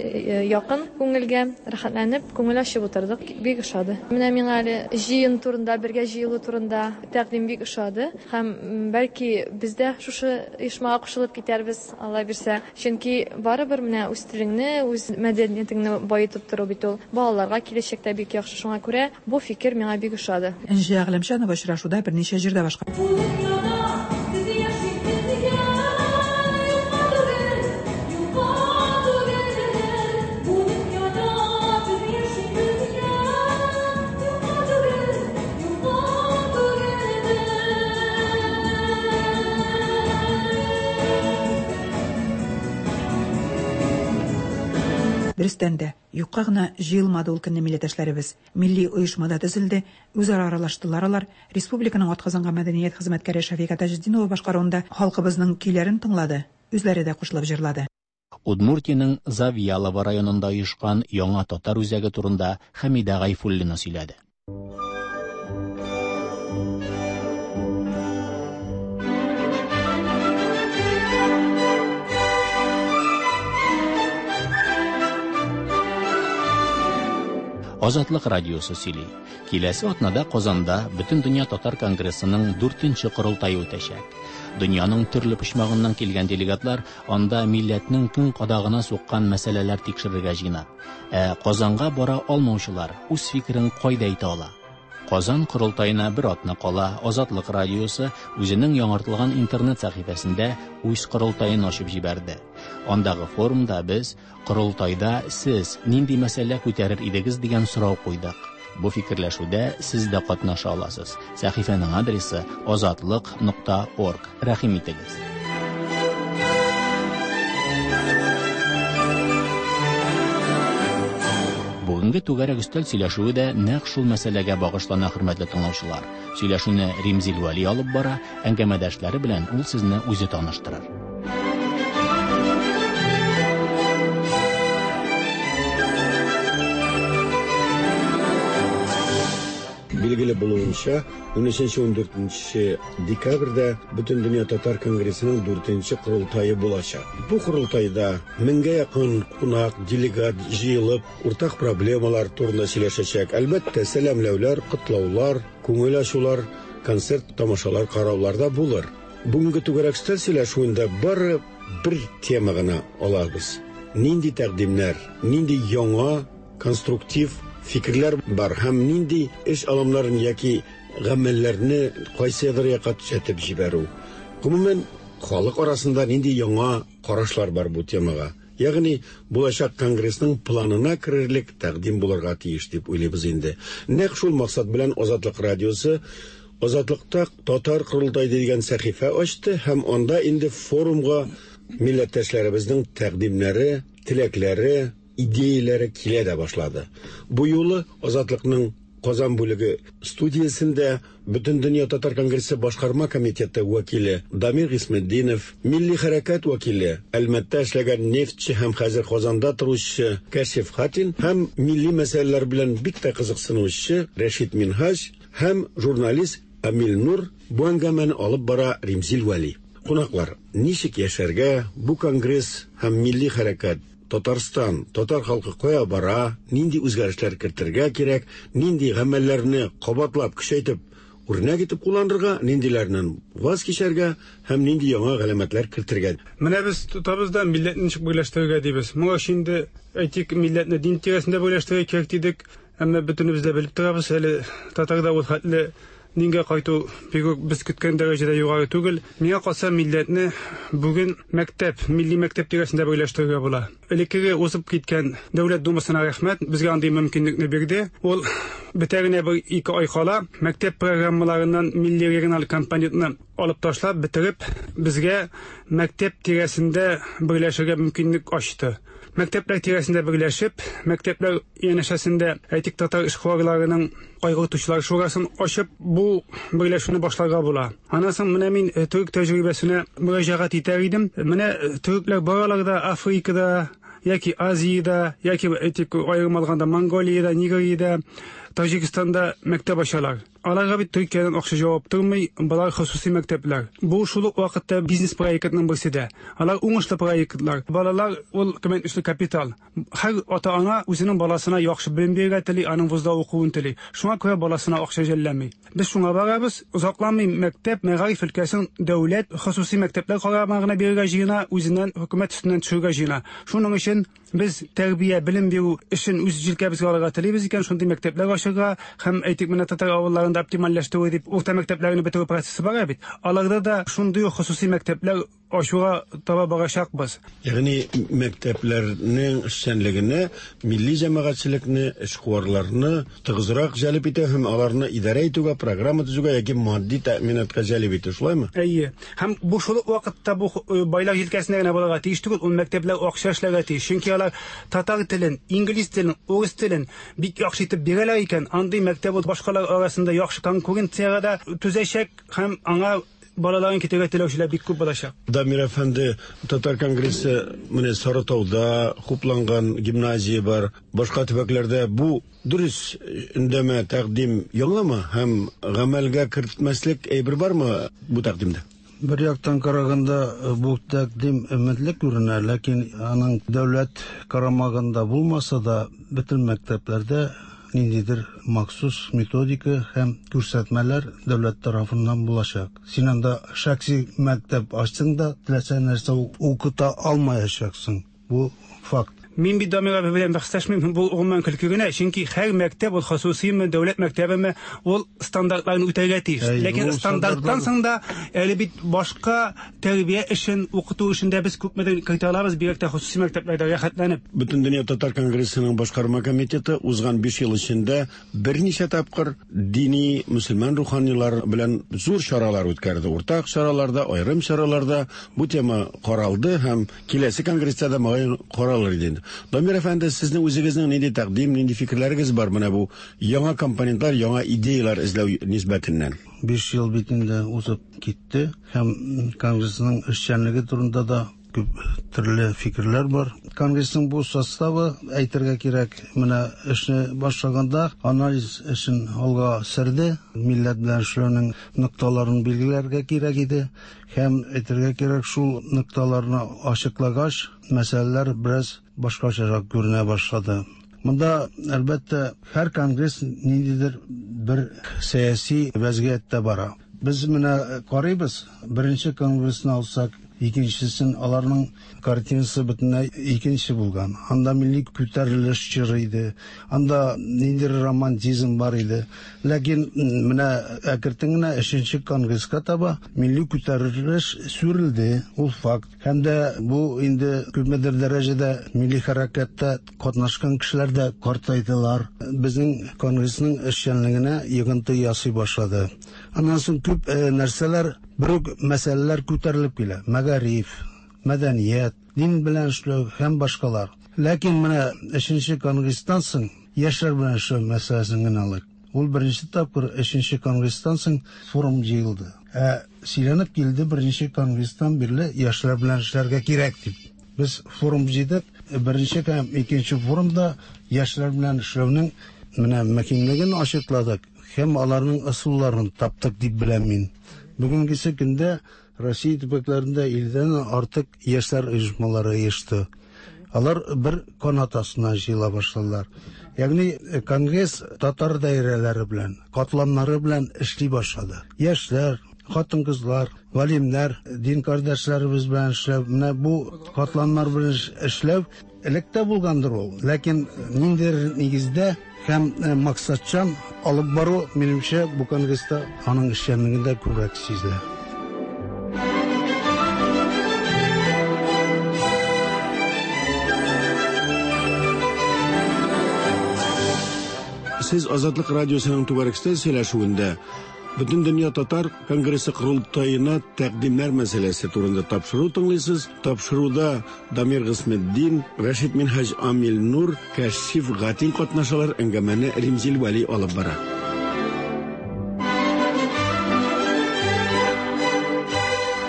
якын күңелгә, рәхәтләнеп, күңел ачып утырдык. Бик ошады. Менә миңа әле җыен турында, бергә җыелу турында тәкъдим бик ошады. Һәм бәлки без дә шушы оешмага кушылып китәрбез, Алла бирсә. Чөнки барыбер менә үз телеңне, үз мәдәниятеңне баетып тору бит ул балаларга киләчәктә бик яхшы. Шуңа күрә бу фикер миңа бик ошады. Энҗе Әгъләмчанова очрашуда берничә җирдә башка. Дөрестән дә, юкка гына җыелмады ул көнне милләттәшләребез. Милли оешмада төзелде, үзара аралаштылар алар. Республиканың атказанган мәдәният хезмәткәре Шәфика Таҗетдинова башкаруында халкыбызның көйләрен тыңлады, үзләре дә кушылып җырлады. Удмуртиянең Завьялово районында оешкан яңа татар үзәге турында Хәмидә Гайфуллина сөйләде. Азатлык радиосы сөйли. Киләсе атнада Казанда Бөтендөнья татар конгрессының дүртенче корылтае үтәчәк. Дөньяның төрле почмагыннан килгән делегатлар анда милләтнең көн кадагына суккан мәсьәләләр тикшерергә җыена. Ә Казанга бара алмаучылар үз фикерен кайда әйтә ала? Казан корылтаена бер атна кала Азатлык радиосы үзенең яңартылган интернет сәхифәсендә үз корылтаен ачып җибәрде. Андагы форумда без корылтайда сез нинди мәсьәлә күтәрер идегез дигән сорау куйдык. Бу фикерләшүдә сез дә катнаша аласыз. Сәхифәнең адресы азатлык нокта орг. Рәхим итегез. Бүгенге түгәрәк өстәл сөйләшүе дә нәкъ шул мәсьәләгә багышлана, хөрмәтле тыңлаучылар. Сөйләшүне Римзил Вәли алып бара, әңгәмәдәшләре белән ул сезне үзе таныштырыр. Билгеле булуынча, ун өченче ун дүртенче декабрьдә Бөтендөнья татар конгрессының дүртенче корылтае булачак. Бу корылтайда меңгә якын кунак, делегат җыелып, уртак проблемалар турында сөйләшәчәк. Әлбәттә, сәламләүләр, котлаулар, күңел ачулар, концерт, тамашалар караулар да булыр. Бүгенге түгәрәк өстәл сөйләшүендә бары бер тема гына алабыз. Нинди тәкъдимнәр, нинди яңа конструктив фикерләр бар һәм нинди эш алымнарын яки гамәлләрне кайсыдыр якка төзәтеп җибәрү. Гомумән, халык арасында нинди яңа карашлар бар бу темага. Ягъни булачак конгрессның планына керерлек тәкъдим булырга тиеш дип уйлыйбыз инде. Нәкъ шул максат белән Азатлык радиосы Азатлыкта татар корылтае дигән сәхифә ачты һәм анда инде форумга милләттәшләребезнең тәкъдимнәре, теләкләре, идеяләре килә дә башлады. Бу юлы Азатлыкның Казан бүлеге студиясендә Бөтендөнья татар конгрессы башкарма комитеты вәкиле Дамир Гисметдинов, милли хәрәкәт вәкиле, Әлмәттә эшләгән нефтче һәм хәзер Казанда торучы Кәшиф Хатин һәм милли мәсьәләләр белән бик тә кызыксынучы Рәшит Минһаҗ һәм журналист Амил Нур бу әңгәмәне алып бара Римзил Вәли. Кунаклар, ничек яшәргә, бу конгресс һәм милли хәрәкәт Татарстан, татар халкы кая бара, нинди үзгәрешләр кертергә кирәк, нинди гамәлләрне кабатлап, көчәйтеп, үрнәк итеп кулланырга, ниндиләреннән ваз кичәргә һәм нинди яңа галәмәтләр кертергә. Менә без тотабыз да милләтне ничек берләштерергә дибез. Моңа инде әйтик, милләтне дин тирәсендә берләштерергә кирәк дидек, әмма бөтенебез дә белеп торабыз, әле татарда ул хәтле дингә кайту бик үк без көткән дәрәҗәдә югары түгел. Миңа калса, милләтне бүген мәктәп, милли мәктәп тирәсендә берләштерергә була. Элеккеге узып киткән Дәүләт Думасына рәхмәт, безгә андый мөмкинлекне бирде. Ул бетә генә бер ике ай кала мәктәп программаларыннан милли региональ компонентны алып ташлап, бетереп, безгә мәктәп тирәсендә берләшергә мөмкинлек ачты. Мәктәпләр тирәсендә берләшеп, мәктәпләр янәшәсендә әйтик татар эшкуарларының кайгыртучылар шурасын ачып, бу берләшүне башларга була. Аннан соң менә мин төрек тәҗрибәсенә мөрәҗәгать итәр идем. Менә төрекләр баралар да Африкада, яки Азиядә, яки әйтик аерым алганда Монголиядә, Нигериядә, Таҗикстанда мәктәп ачалар. Аларга бит Төркиядән акча җавап тормый, болар хосуси мәктәпләр. Бу шул ук вакытта бизнес проектының берсе дә. Алар уңышлы проектлар. Балалар ул кыйммәтле капитал. Һәр ата-ана үзенең баласына яхшы белем бирергә тели, аның вузда укуын тели. Шуңа күрә баласына акча жәлләми. Без шуңа барабыз, озакламый мәктәп, мәгариф өлкәсен дәүләт хосуси мәктәпләр карамагына бирергә җыена, үзеннән хөкүмәт өстеннән төшерергә җыена. Шуның өчен без тәрбия, белем бирү эшен үз җилкәбезгә алырга телибез икән, шундый мәктәпләр ачырга һәм әйтик менә татар авылларында оптимальләштерү дип урта мәктәпләрне бетерү процессы бара бит. Аларда да шундый ук хосуси мәктәпләр ачуга таба барачакбыз. Ягъни мәктәпләрнең эшчәнлегенә милли җәмәгатьчелекне, эшкуарларны тыгызрак җәлеп итү һәм аларны идарә итүгә, программа төзүгә яки матди тәэминатка җәлеп итү, шулаймы? Әйе. Һәм бу шул ук вакытта бу байлар җилкәсенә генә булырга тиеш түгел, ул мәктәпләр акча эшләргә тиеш. Чөнки алар татар телен, инглиз телен, урыс телен бик яхшы итеп бирәләр икән, андый мәктәп ул башкалар арасында яхшы конкуренциягә дә түзәчәк һәм аңа балаларын китергә теләүчеләр бик күп булачак. Дамир әфәнде, татар конгрессы менә Сарытауда хупланган гимназия бар, башка төбәкләрдә бу дөрес өндәмә тәкъдим яңамы һәм гамәлгә кертмәслек әйбер бармы бу тәкъдимдә? Бер яктан караганда бу тәкъдим өметле күренә, ләкин аның дәүләт карамагында булмаса да, бөтен мәктәпләрдә ниндидер махсус методика һәм күрсәтмәләр дәүләт тарафыннан булачак. Син анда шәхси мәктәп ачсаң да, теләсә нәрсә укыта алмаячаксың. Бу факт. Мин бит Дамир абый белән бәхәсләшмим, бу гомумән көлке генә, чөнки һәр мәктәп ул хосусыймы, дәүләт мәктәбеме, ул стандартларны үтәргә тиеш. Ләкин стандарттан соң да әле бит башка тәрбия эшен, укыту эшен дә без күпмедер кертә алабыз, бигрәк тә хосусый мәктәпләрдә рәхәтләнеп. Бөтендөнья татар конгрессының башкарма комитеты узган биш ел эчендә берничә тапкыр дини мөселман руханилар белән зур чаралар үткәрде. Уртак чараларда, аерым чараларда бу тема каралды һәм киләсе конгресста да мөгаен каралыр иде. Дамир әфәнде, сезнең үзегезнең нинди тәкъдим, нинди фикерләрегез бар менә бу яңа компонентлар, яңа идеялар эзләү нисбәтеннән? Биш ел бит инде узып китте һәм конгрессның эшчәнлеге турында да күп төрле фикерләр бар. Конгрессның бу составы, әйтергә кирәк, менә эшне башлаганда анализ эшен алга сөрде, милләт белән эшләүнең нокталарын билгеләргә кирәк иде һәм әйтергә кирәк, шул нокталарны ачыклагач, мәсьәләләр бераз башкачарак күренә башлады. Монда, әлбәттә, һәр конгресс ниндидер бер сәяси вәзгыятьтә бара. Без менә карыйбыз, беренче конгрессны алсак, икенчесен, аларның картинасы бөтенләй икенче булган. Анда милли күтәрелеш чоры иде, анда ниндидер романтизм бар иде. Ләкин менә әкертен генә өченче конгресска таба милли күтәрелеш сүрелде, ул факт. Һәм дә бу инде күпмедер дәрәҗәдә милли хәрәкәттә катнашкан кешеләр дә картайдылар. Безнең конгрессның эшчәнлегенә йогынты ясый башлады. Аннан соң күп нәрсәләр, бер үк мәсьәләләр күтәрелеп килә. Мәгариф, мәдәният, дин белән эшләү һәм башкалар. Ләкин менә өченче конгресстан соң яшьләр белән эшләү мәсьәләсен генә алыйк. Ул беренче тапкыр өченче конгресстан соң форум җыелды. Ә сөйләнеп килде беренче конгресстан бирле яшьләр белән эшләргә кирәк дип. Без форум җыйдык. Беренче һәм икенче форумда яшьләр белән эшләүнең менә мөһимлеген ачыкладык һәм аларның ысулларын таптык дип беләм мин. Бүгенгесе көндә Россия төбәкләрендә илдән артык яшьләр оешмалары оешты. Алар бер канат астына җыела башладылар. Ягъни конгресс татар даирәләре белән, катламнары белән эшли башлады. Яшьләр, хатын-кызлар, галимнәр, дин кардәшләребез белән эшләү, менә бу катламнар белән эшләү элек тә булгандыр ул. Ләкин ниндидер нигездә һәм максатчан алып бару, минемчә, бу конгресста аның эшчәнлегендә күбрәк сизелә. Сез Азатлык радиосының түгәрәк өстәл сөйләшүендә Бөтендөнья татар конгрессы корылтаена тәкъдимнәр мәсьәләсе турында тапшыру тыңлыйсыз. Тапшыруда Дамир Гысметдин, Рәшит Минһаҗ Амил Нур, Кәшиф Гатин катнашалар. Әңгәмәне Римзил Вәли алып бара.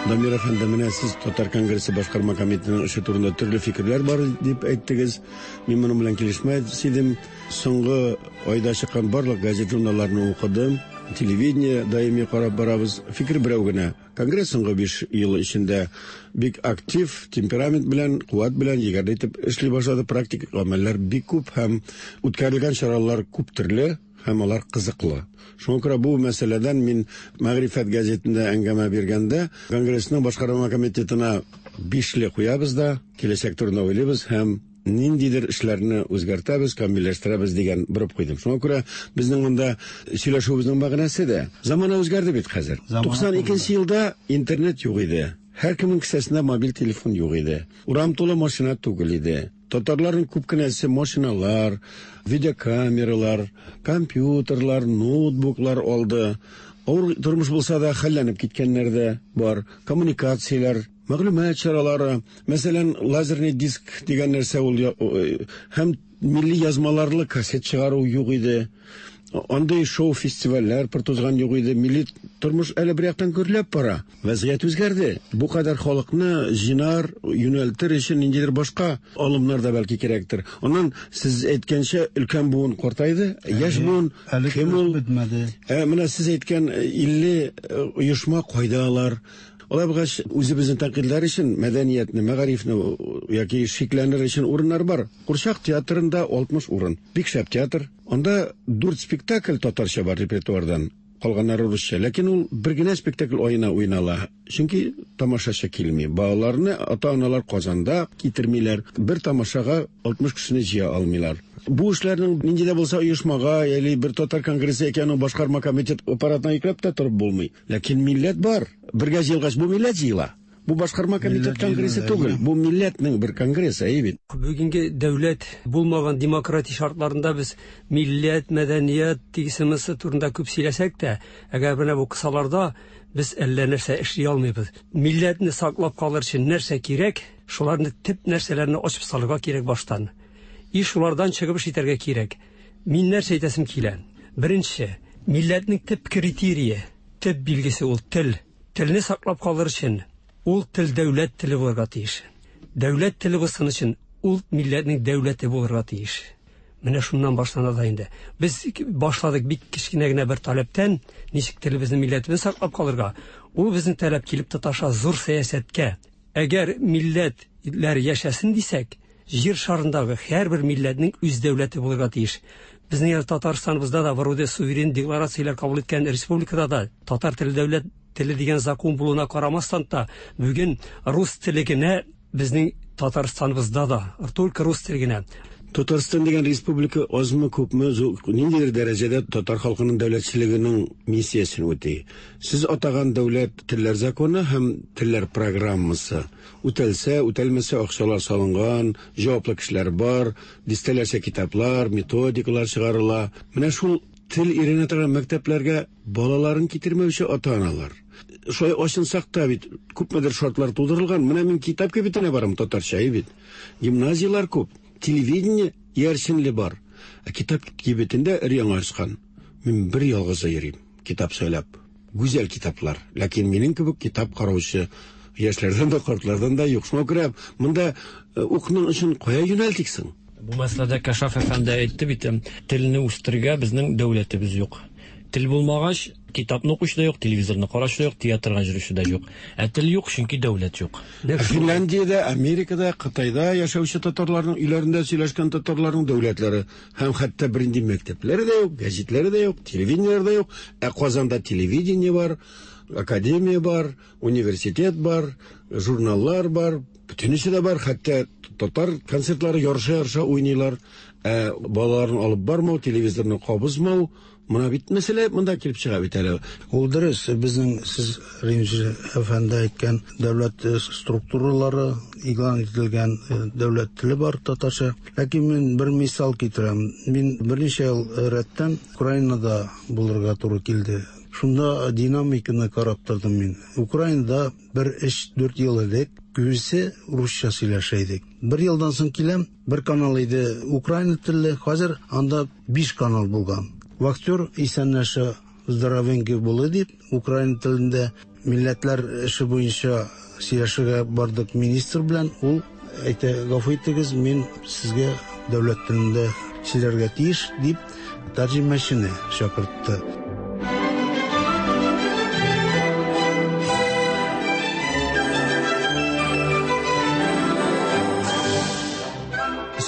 Дамир әфәнде, менә сез Татар конгрессы башкарма комитетының эше турында төрле фикерләр бар дип әйттегез. Мин моның белән килешмәс идем. Соңгы айда чыккан барлык газет журналларны укыдым. Телевидение даими карап барабыз. Фикер берәү генә. Конгресс соңгы биш ел эчендә бик актив, темперамент белән, куәт белән егәрле итеп эшли башлады. Практик гамәлләр бик күп һәм үткәрелгән чаралар күп төрле һәм алар кызыклы. Шуңа күрә бу мәсьәләдән мин Мәгърифәт газетында әңгәмә биргәндә Конгрессның башкарма комитетына бишле куябыз да, киләчәк турында уйлыйбыз һәм ниндидер эшләрне үзгәртәбез, камилләштерәбез дигән борып куйдым. Шуңа күрә безнең монда сөйләшүебезнең мәгънәсе дә замана үзгәрде бит хәзер. туксан икенче елда интернет юк иде. Һәркемнең кесәсендә мобиль телефон юк иде. Урам тулы машина түгел иде. Татарларның күп кенәсе машиналар, видеокамералар, компьютерлар, ноутбуклар алды. Авыр тормыш булса да хәлләнеп киткәннәр дә бар. Коммуникацияләр, мәгълүмат чаралары, мәсәлән, лазерный диск дигән нәрсә ул һәм милли язмаларлы кассет чыгару юк иде. Андый шоу-фестивальләр пыр тузган юк иде. Милли тормыш әле бер яктан гөрләп бара. Вәзгыять үзгәрде. Бу кадәр халыкны җыйнар, юнәлтер өчен ниндидер башка алымнар да бәлки кирәктер. Аннан сез әйткәнчә өлкән буын картайды, яшь буын кем ул? Бетмәде. Ә менә сез әйткән илле оешма кайда алар? Алай булгач, үзебезне тәнкыйтьләр өчен мәдәниятне, мәгарифне яки шикләнер өчен урыннар бар. Курчак театрында алтмыш урын. Бик шәп театр. Анда дүрт спектакль татарча бар репертуардан. Калганнары русча. Ләкин ул бер генә спектакль аена уйнала. Чөнки тамашачы килми. Балаларны ата-аналар Казанда китермиләр. Бер тамашага алтмыш кешене җыя алмыйлар. Бу эшләрнең нинди дә булса оешмага, яли бер татар конгрессы яки аның башкарма комитет аппаратына йөкләп тә торып булмый. Ләкин милләт бар. Бергә җыелгач, бу милләт җыела. Бу башкарма комитет конгрессы түгел, бу милләтнең бер конгрессы, әйе бит. Бүгенге дәүләт булмаган демократия шартларында без милләт, мәдәният тигезлеге турында күп сөйләсәк тә, әгәр менә бу кысаларда без әллә нәрсә эшли алмыйбыз. Милләтне саклап калыр өчен нәрсә кирәк, шуларны төп нәрсәләрне ачып салырга кирәк баштан. И шулардан чыгып эш итәргә кирәк. Мин нәрсә әйтәсем килә? Беренче, милләтнең төп критерие, төп билгесе ул тел. Телне саклап калыр өчен ул тел дәүләт теле булырга тиеш. Дәүләт теле булсын өчен ул милләтнең дәүләте булырга тиеш. Менә шуннан башлана да инде. Без башладык бик кечкенә генә бер таләптән, ничек телебезне, милләтебезне саклап калырга. Ул безнең таләп килеп тоташа зур сәясәткә. Әгәр милләтләр яшәсен дисәк, җир шарындагы һәрбер милләтнең үз дәүләте булырга тиеш. Безнең Татарстаныбызда да вроде суверен декларацияләр кабул иткән республикада да татар теле дәүләт теле дигән закон булуына карамастан та бүген рус теле генә безнең Татарстаныбызда да, только рус теле генә. Татарстан дигән республика азмы күпме ниндидер дәрәҗәдә татар халкының дәүләтчелегенең миссиясен үти. Сез атаган дәүләт телләр законы һәм телләр программасы үтәлсә, үтәлмәсә акчалар салынган, җаваплы кешеләр бар, дистәләрчә китаплар, методикалар чыгарыла. Менә шул тел өйрәнә торган мәктәпләргә балаларын китермәүче ата-аналар. Шулай ачынсак та бит күпмедер шартлар тудырылган. Менә мин китап кибетенә барам татарча, әйе бит. Гимназияләр күп, телевидение ярчынлы бар. Ә китап кибетендә өр-яңа ачкан. Мин бер ялгызы йөрим, китап сөйләп. Гүзәл китаплар. Ләкин минем кебек китап караучы яшьләрдән дә, картлардан да юк. Шуңа күрә монда укның өчен кая юнәлтиксең? Бу мәсьәләдә Кашаф әфәнде әйтте бит, телне үстерергә безнең дәүләтебез юк. Тел булмагач, китапны укучы да юк, телевизорны караучы да юк, театрга йөрүче дә юк. Ә тел юк, чөнки дәүләт юк. Финляндиядә, Америкада, Кытайда яшәүче татарларның өйләрендә сөйләшкән татарларның дәүләтләре һәм хәтта бернинди мәктәпләре дә юк, гәзитләре дә юк, телевидениеләре дә юк. Ә Казанда телевидение бар, академия бар, университет бар, журналлар бар, бөтенесе дә бар, хәтта татар концертлары ярыша-ярыша уйныйлар. Ә балаларын алып бармау, телевизорны кабызмау, мына бит мәсьәлә монда килеп чыга бит әле. Ул дөрес, безнең сез Римзил әфәнде әйткән дәүләт структуралары игълан ителгән дәүләт теле бар татарча. Ләкин мин бер мисал китерәм. Мин берничә ел рәттән Украинада булырга туры килде. Шунда динамиканы карап тордым мин. Украинада бер өч-дүрт ел элек күбесе русча сөйләшә идек. Бер елдан соң киләм, бер канал иде украина телле, хәзер анда биш канал булган. Вахтер исәнләшә здоровенький булды дип, украин телендә милләтләр эше буенча сөйләшергә бардык министр белән. Ул әйтә, гафу итегез, мин сезгә дәүләт телендә сөйләргә тиеш дип тәрҗемәчене чакыртты.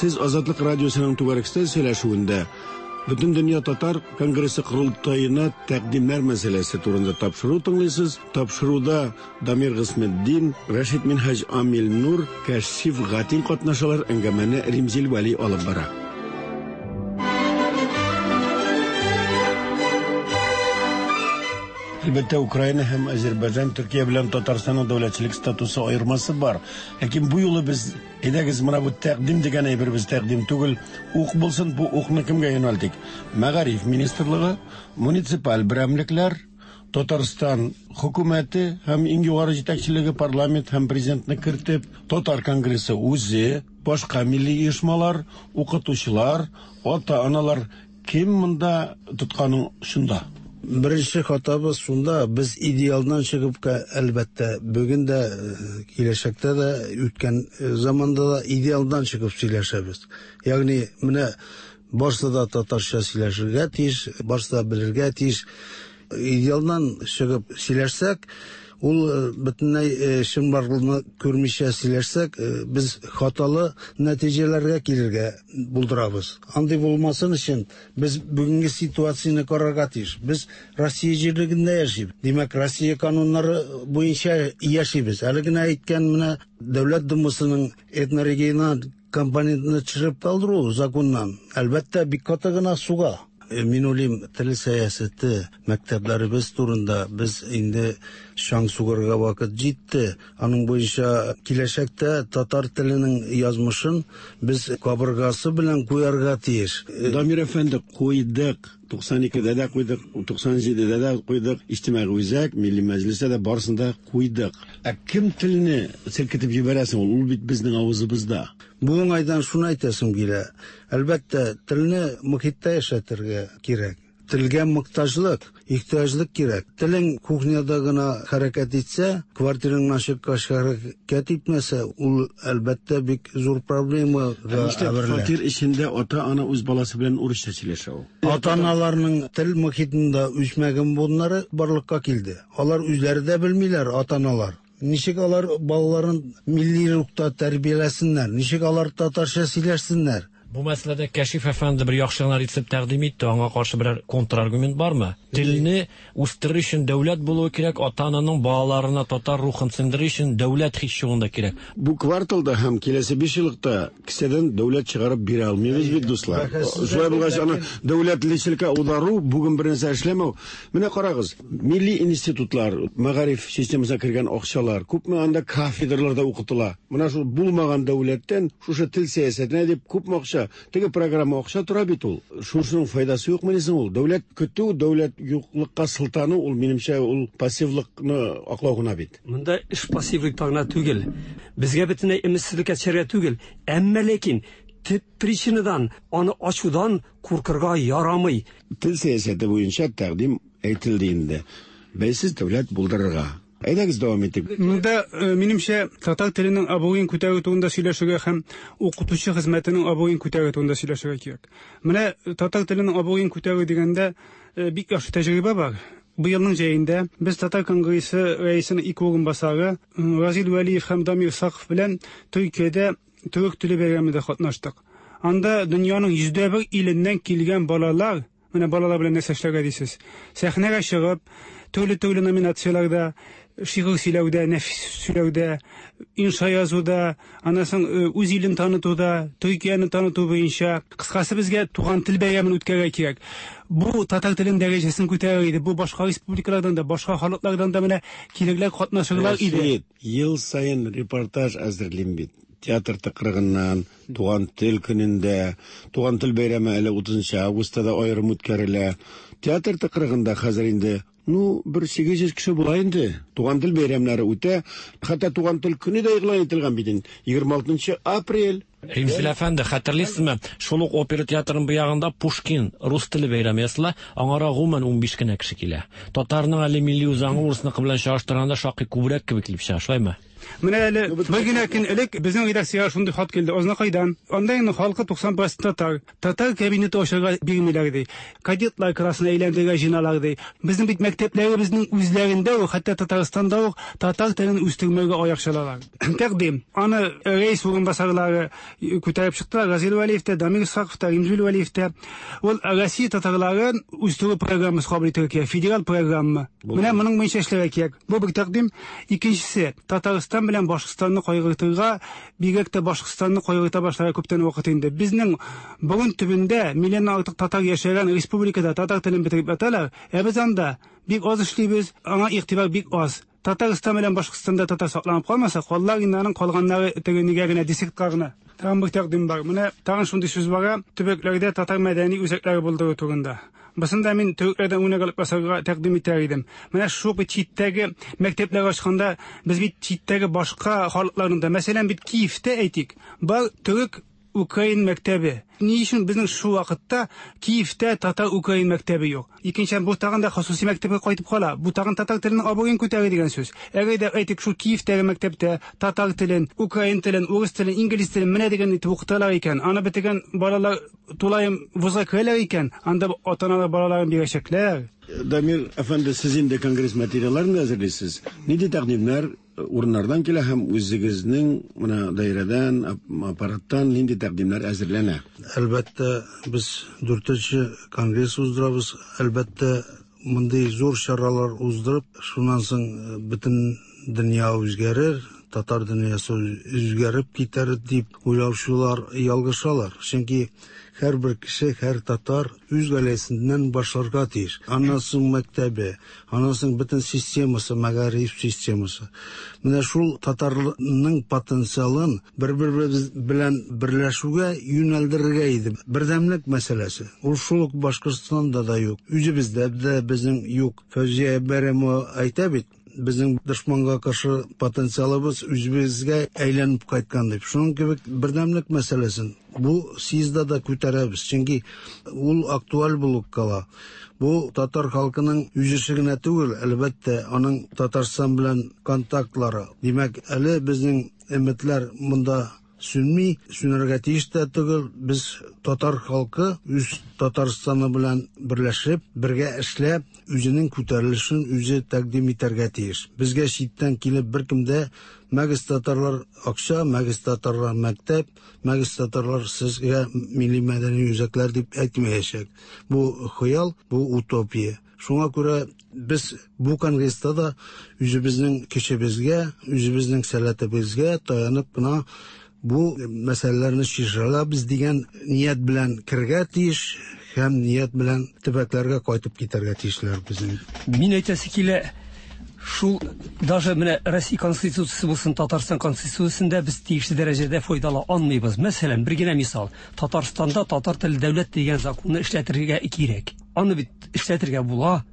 Сез Азатлык радиосының түгәрәк өстәл сөйләшүендә Бөтендөнья татар конгрессы корылтаена тәкъдимнәр мәсьәләсе турында тапшыру тыңлыйсыз. Тапшыруда Дамир Гысметдин, Рәшит Минһаҗ Амил Нур, Кәшиф Гатин катнашалар. Әңгәмәне Римзил Вәли алып бара. Әлбәттә, Украина һәм Азербайҗан, Төркия белән Татарстанның дәүләтчелек статусы аермасы бар. Ләкин бу юлы без әйдәгез менә бу тәкъдим дигән әйбер без тәкъдим түгел, ук булсын, бу укны кемгә юнәлтик? Мәгариф министрлыгы, муниципаль берәмлекләр, Татарстан хөкүмәте һәм иң югары җитәкчелеге парламент һәм президентны кертеп, Татар конгрессы үзе, башка милли оешмалар, укытучылар, ата-аналар кем монда тотканың шунда? Беренче хатабыз шунда, без идеалдан чыгып, әлбәттә, бүген дә, киләчәктә дә, үткән заманда да идеалдан чыгып сөйләшәбез. Ягъни менә барысы да татарча сөйләшергә тиеш, барысы да белергә тиеш. Идеалдан чыгып сөйләшсәк, Ул бөтенләй чынбарлыкны күрмичә сөйләшсәк, без хаталы нәтиҗәләргә килергә булдырабыз. Андый булмасын өчен без бүгенге ситуацияне карарга тиеш. Без Россия җирлегендә яшибез. Димәк, Россия кануннары буенча яшибез. Әле генә әйткән менә Дәүләт Думасының этнорегиональ компонентны төшереп калдыру законнан, әлбәттә, бик каты гына суга. Мин уйлыйм, тел сәясәте мәктәпләребез турында без инде чаң сугарга вакыт җитте. Аның буенча киләчәктә татар теленең язмышын без кабыргасы белән куярга тиеш. Дамир әфәнде, куйдык. туксан икедә дә куйдык, туксан җидедә дә куйдык, Иҗтимагый үзәк, Милли Мәҗлестә дә барысын да куйдык. Ә кем телне селкетеп җибәрәсең ул? Ул бит безнең авызыбызда. Бу уңайдан шуны әйтәсем килә. Әлбәттә, телне мохиттә яшәтергә кирәк. Телгә мохтаҗлык, ихтыяҗлык кирәк. Телең кухняда гына хәрәкәт итсә, квартираңнан чыккач хәрәкәт итмәсә, ул әлбәттә бик зур проблемага әверелә. Фатир эчендә ата-ана үз баласы белән урысча сөйләшә ул. Ата-аналарның тел мохитында үсмәгән буыннары барлыкка килде. Алар үзләре дә белмиләр, ата-аналар. Ничек алар балаларын милли рухта тәрбияләсеннәр, ничек алар татарча сөйләшсеннәр? Бу мәсьәләдә Кәшиф әфәнде бер яхшы гына рецепт тәкъдим итте, аңа каршы берәр контраргумент бармы? Телне үстерер өчен дәүләт булуы кирәк, ата-ананың балаларына татар рухын сеңдерер өчен дәүләт һич югында кирәк. Бу кварталда һәм киләсе биш еллыкта кесәдән дәүләт чыгарып бирә алмыйбыз бит, дуслар. Шулай булгач, аны дәүләтлеккә аудару бүген бер нәрсә эшләмәү. Менә карагыз, милли институтлар, мәгариф системасына кергән акчалар, күпме анда кафедраларда укытыла. Менә шул булмаган дәүләттән шушы тел сәясәтенә дип күпме акча, теге программа акча тора бит ул. Шушының файдасы юкмы дисең ул? Дәүләт көтү, дәүләт юклыкка сылтану ул, минемчә, ул пассивлыкны аклау гына бит. Монда эш пассивлыкта гына түгел. Безгә бөтенләй өметсезлеккә төшәргә түгел. Әмма ләкин төп причинадан, аны ачудан куркырга ярамый. Тел сәясәте буенча тәкъдим әйтелде инде. Бәйсез дәүләт булдырырга. Әйдәгез дәвам итик. Монда минемчә татар теленең абруен күтәрү турында сөйләшергә һәм укытучы хезмәтенең абруен күтәрү турында сөйләшергә кирәк. Менә татар теленең абруен күтәрү дигәндә бик яхшы тәҗрибә бар. Быелның җәендә без Татар конгрессы рәисенең ике урынбасары Разил Вәлиев һәм Дамир Саков белән Төркиядә төрек теле бәйрәмендә катнаштык. Анда дөньяның йөздә бер иленнән килгән балалар, менә балалар белән нәрсә эшләргә дисез. Сәхнәгә чыгып, төрле-төрле номинацияләрдә, шигырь сөйләүдә, нәфис сөйләүдә, инша язуда, аннан соң үз илен танытуда, Төркияне таныту буенча, кыскасы безгә туган тел бәйрәмен үткәрергә кирәк. Бу татар телен дәрәҗәсен күтәрер иде. Бу башка республикалардан да, башка халыклардан да менә килерләр, катнашырлар иде. Ел саен репортаж әзерлим бит. Театр тыкрыгыннан, туган тел көнендә, туган тел бәйрәме әле утызынчы августта да аерым үткәрелә. Театр тыкрыгында хәзер инде, ну, бер сигез йөз кеше була инде. Туган тел бәйрәмнәре үтә. Хәтта туган тел көне дә игълан ителгән бит инде. егерме алтынчы апрель. Римзил әфәнде, хәтерлисезме? Шул ук опера театрының бу ягында Пушкин рус теле бәйрәме ясала, аңара гомумән унбиш кенә кеше килә. Татарның әле милли үзаңы урысныкы белән чагыштырганда шактый күбрәк кебек килеп чыга, шулаймы? Менә әле бер генә көн элек безнең редакциягә шундый хат килде. Азнакайдан. Анда инде халкы туксан процент татар. Татар кабинеты ачарга бирмиләр ди. Кадетлар классына әйләндерергә җыеналар ди. Безнең бит мәктәпләребезнең үзләрендә үк, хәтта Татарстанда ук татар телен үстермәгә аяк чалалар. Тәкъдим. Аны рәис урынбасарлары күтәреп чыктылар. Разил Вәлиев тә, Дамир Исхаков та, Римзил Вәлиев тә. Ул Россия татарларын үстерү программасы кабул итәргә кирәк, федераль программа. Менә моның буенча эшләргә кирәк. Бу бер тәкъдим. Икенчесе, Татарстан белән Башкортстанны кайгыртырга, бигрәк тә Башкортстанны кайгырта башларга күптән вакыт инде. Безнең борын төбендә миллионнан артык татар яшәгән республикада татар телен бетереп яталар, ә без анда бик аз эшлибез, аңа игътибар бик аз. Татарстан белән Башкортстанда татар сакланып калмаса, каллар инде аның калганнары теге нигә генә десертка гына. Тагын бер тәкъдим бар. Менә тагын шундый сүз бар, төбәкләрдә татар мәдәни үзәкләре булдыру турында. Бысында мин төрекләрдән үрнәк алып ясарга тәкъдим итәр идем. Менә шул бит читтәге мәктәпләр ачканда без бит читтәге башка халыкларның да, мәсәлән, бит Киевтә әйтик, бар төрек украин мәктәбе. Ни өчен безнең шул вакытта Киевтә татар украин мәктәбе юк? Икенчедән, бу тагын да хосуси мәктәпкә кайтып кала. Бу тагын татар теленең абруен күтәрә дигән сүз. Әгәр дә әйтик, шул Киевтәге мәктәптә татар телен, украин телен, урыс телен, инглиз телен менә дигән итеп укыталар икән, аны бетергән балалар тулаем вузга керәләр икән, анда ата-аналар балаларын бирәчәкләр. Дамир әфәнде, сез инде конгресс материалларын да әзерлисез. Нинди тәкъдимнәр урыннардан килә һәм үзегезнең менә даирәдән, аппараттан нинди тәкъдимнәр әзерләнә? Әлбәттә, без дүртенче конгресс уздырабыз. Әлбәттә, мондый зур чаралар уздырып, шуннан соң бөтен дөнья үзгәрер, татар дөньясы үзгәреп китәр дип уйлаучылар ялгышалар. Чөнки һәрбер кеше, һәр татар үз гаиләсеннән башларга тиеш. Аннан соң мәктәбе, аннан соң бөтен системасы, мәгариф системасы. Менә шул татарның потенциалын бер-беребез белән берләшүгә юнәлдерергә иде. Бердәмлек мәсьәләсе. Ул шул ук Башкортстанда да юк. Үзебездә дә безнең юк. Фәүзия Бәйрәмова әйтә бит, безнең дошманга каршы потенциалыбыз үзебезгә әйләнеп кайткан дип. Шуның кебек бердәмлек мәсьәләсен бу съездда да күтәрәбез, чөнки ул актуаль булып кала. Бу татар халкының үз эше генә түгел, әлбәттә, аның Татарстан белән контактлары. Димәк, әле безнең өметләр монда сүнми, сүнәргә тиеш тә түгел. Без татар халкы үз Татарстаны белән берләшеп, бергә эшләп, үзенең күтәрелешен үзе тәкъдим итәргә тиеш. Безгә читтән килеп беркем дә мәгез татарлар акча, мәгез татарлар мәктәп, мәгез татарлар сезгә милли мәдәни үзәкләр дип әйтмәячәк. Бу хыял, бу утопия. Шуңа күрә без бу конгресста да үзебезнең көчебезгә, үзебезнең сәләтебезгә таянып кына бу мәсьәләләрне чишә алабыз дигән ният белән керергә тиеш һәм ният белән төбәкләргә кайтып китәргә тиешләр безнең. Мин әйтәсе килә, шул даже менә Россия Конституциясе булсын, Татарстан Конституциясендә без тиешле дәрәҗәдә файдала алмыйбыз. Мәсәлән, бер генә мисал, Татарстанда татар теле дәүләт дигән законны эшләтергә кирәк. Аны бит эшләтергә була.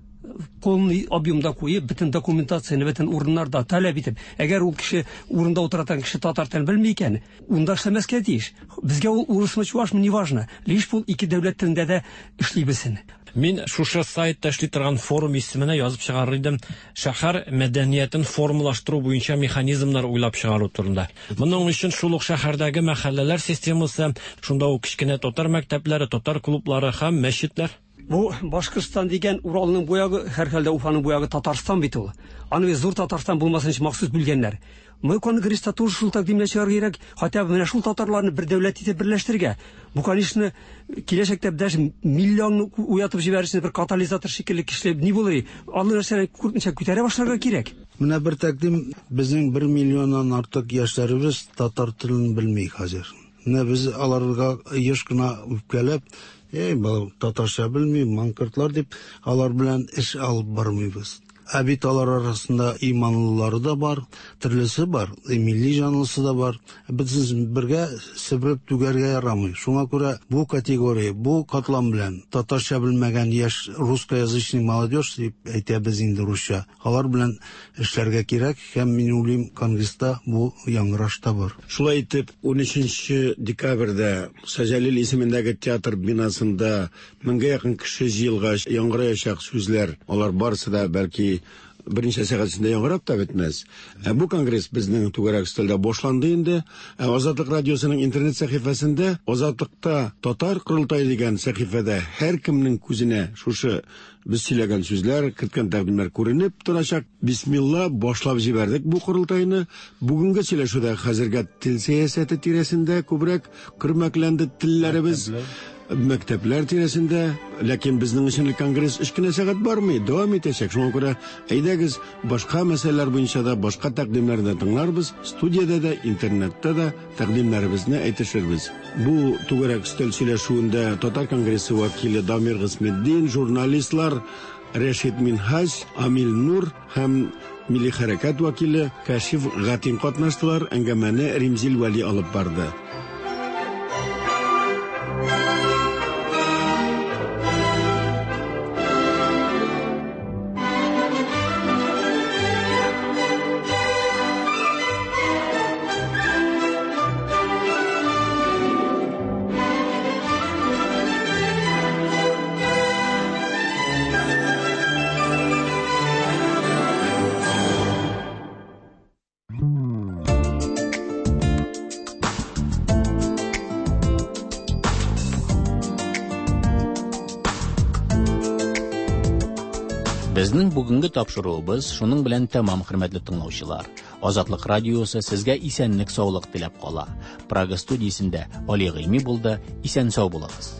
Полный объемда куеп, бөтен документацияне, бөтен урыннарда таләп итеп, әгәр ул кеше урында утырган кеше татар телен белми икән, унда эшләмәскә тиеш. Безгә ул урысмы, чувашмы, неважно. Лишь бу ике дәүләт телендә дә эшли белсен. Мин шушы сайтта эшли торган форум исеменә язып чыгарыр идем, шәһәр мәдәниятен формалаштыру буенча механизмнар уйлап чыгару турында. Моның өчен шул ук шәһәрдәге мәхәлләләр системасы, шунда ук кечкенә татар мәктәпләре, татар клублары һәм мәчетләр. Бу Башкортстан дигән Уралның бу ягы, һәрхәлдә Уфаның бу ягы Татарстан бит ул. Аны зур Татарстан булмасын өчен махсус бүлгәннәр. Мы конгресста тоже шул тәкъдимне чыгарырга кирәк, хотя бы менә шул татарларны бер дәүләт итеп берләштерергә. Бу, конечно, киләчәктә даже миллионны уятып җибәрер өчен бер катализатор шикелле кешеләр ни булыр? Алар нәрсәне күрмичә күтәрә башларга кирәк. Менә бер тәкъдим, безнең бер миллионнан артык яшьләребез татар телен белми хәзер. Менә без аларга еш кына үпкәләп, эй, бала татарча белми, манкортлар дип, алар белән эш алып бармыйбыз. Ә бит алар арасында иманлылары да бар, төрлесе бар, милли җанлысы да бар. Без бергә себереп түгәргә ярамый. Шуңа күрә бу категория, бу катлам белән татарча белмәгән яшь русскоязычный молодежь дип әйтәбез инде русча. Алар белән эшләргә кирәк һәм мин уйлыйм, конгресста бу яңгыраш та бар. Шулай итеп, ун өченче декабрьдә Саҗәлил исемендәге театр бинасында меңгә якын кеше җыелгач, яңгыраячак сүзләр, алар барысы да бәлки берничә сәгать эчендә яңгырап та бетмәс. Ә бу конгресс безнең түгәрәк өстәлдә башланды инде. Ә Азатлык радиосының интернет сәхифәсендә Азатлыкта татар корылтае дигән сәхифәдә һәркемнең күзенә шушы без сөйләгән сүзләр, керткән тәкъдимнәр күренеп торачак. Бисмилла, башлап җибәрдек бу корылтайны. Бүгенге сөйләшүдә хәзергә тел сәясәте тирәсендә күбрәк көрмәкләнде телләребез. Мәктәпләр тирәсендә, ләкин безнең өчен конгресс өч кенә сәгать бармый, дәвам итәчәк. Шуңа күрә әйдәгез, башка мәсьәләләр буенча да, башка тәкъдимнәрне дә тыңларбыз, студиядә дә, интернетта да тәкъдимнәребезне әйтешербез. Бу түгәрәк өстәл сөйләшүендә Татар конгрессы вәкиле Дамир Гыйсметдин, журналистлар Рәшит Минһаҗ, Амил Нур һәм милли хәрәкәт вәкиле Кәшиф Гатин катнаштылар. Әңгәмәне Римзил Вәли алып барды. Безнең бүгенге тапшыруыбыз шуның белән тәмам, хөрмәтле тыңлаучылар. Азатлык радиосы сезгә исәнлек, саулык теләп кала. Прага студиясендә Али Гыйльми булды. Исән сау булыгыз.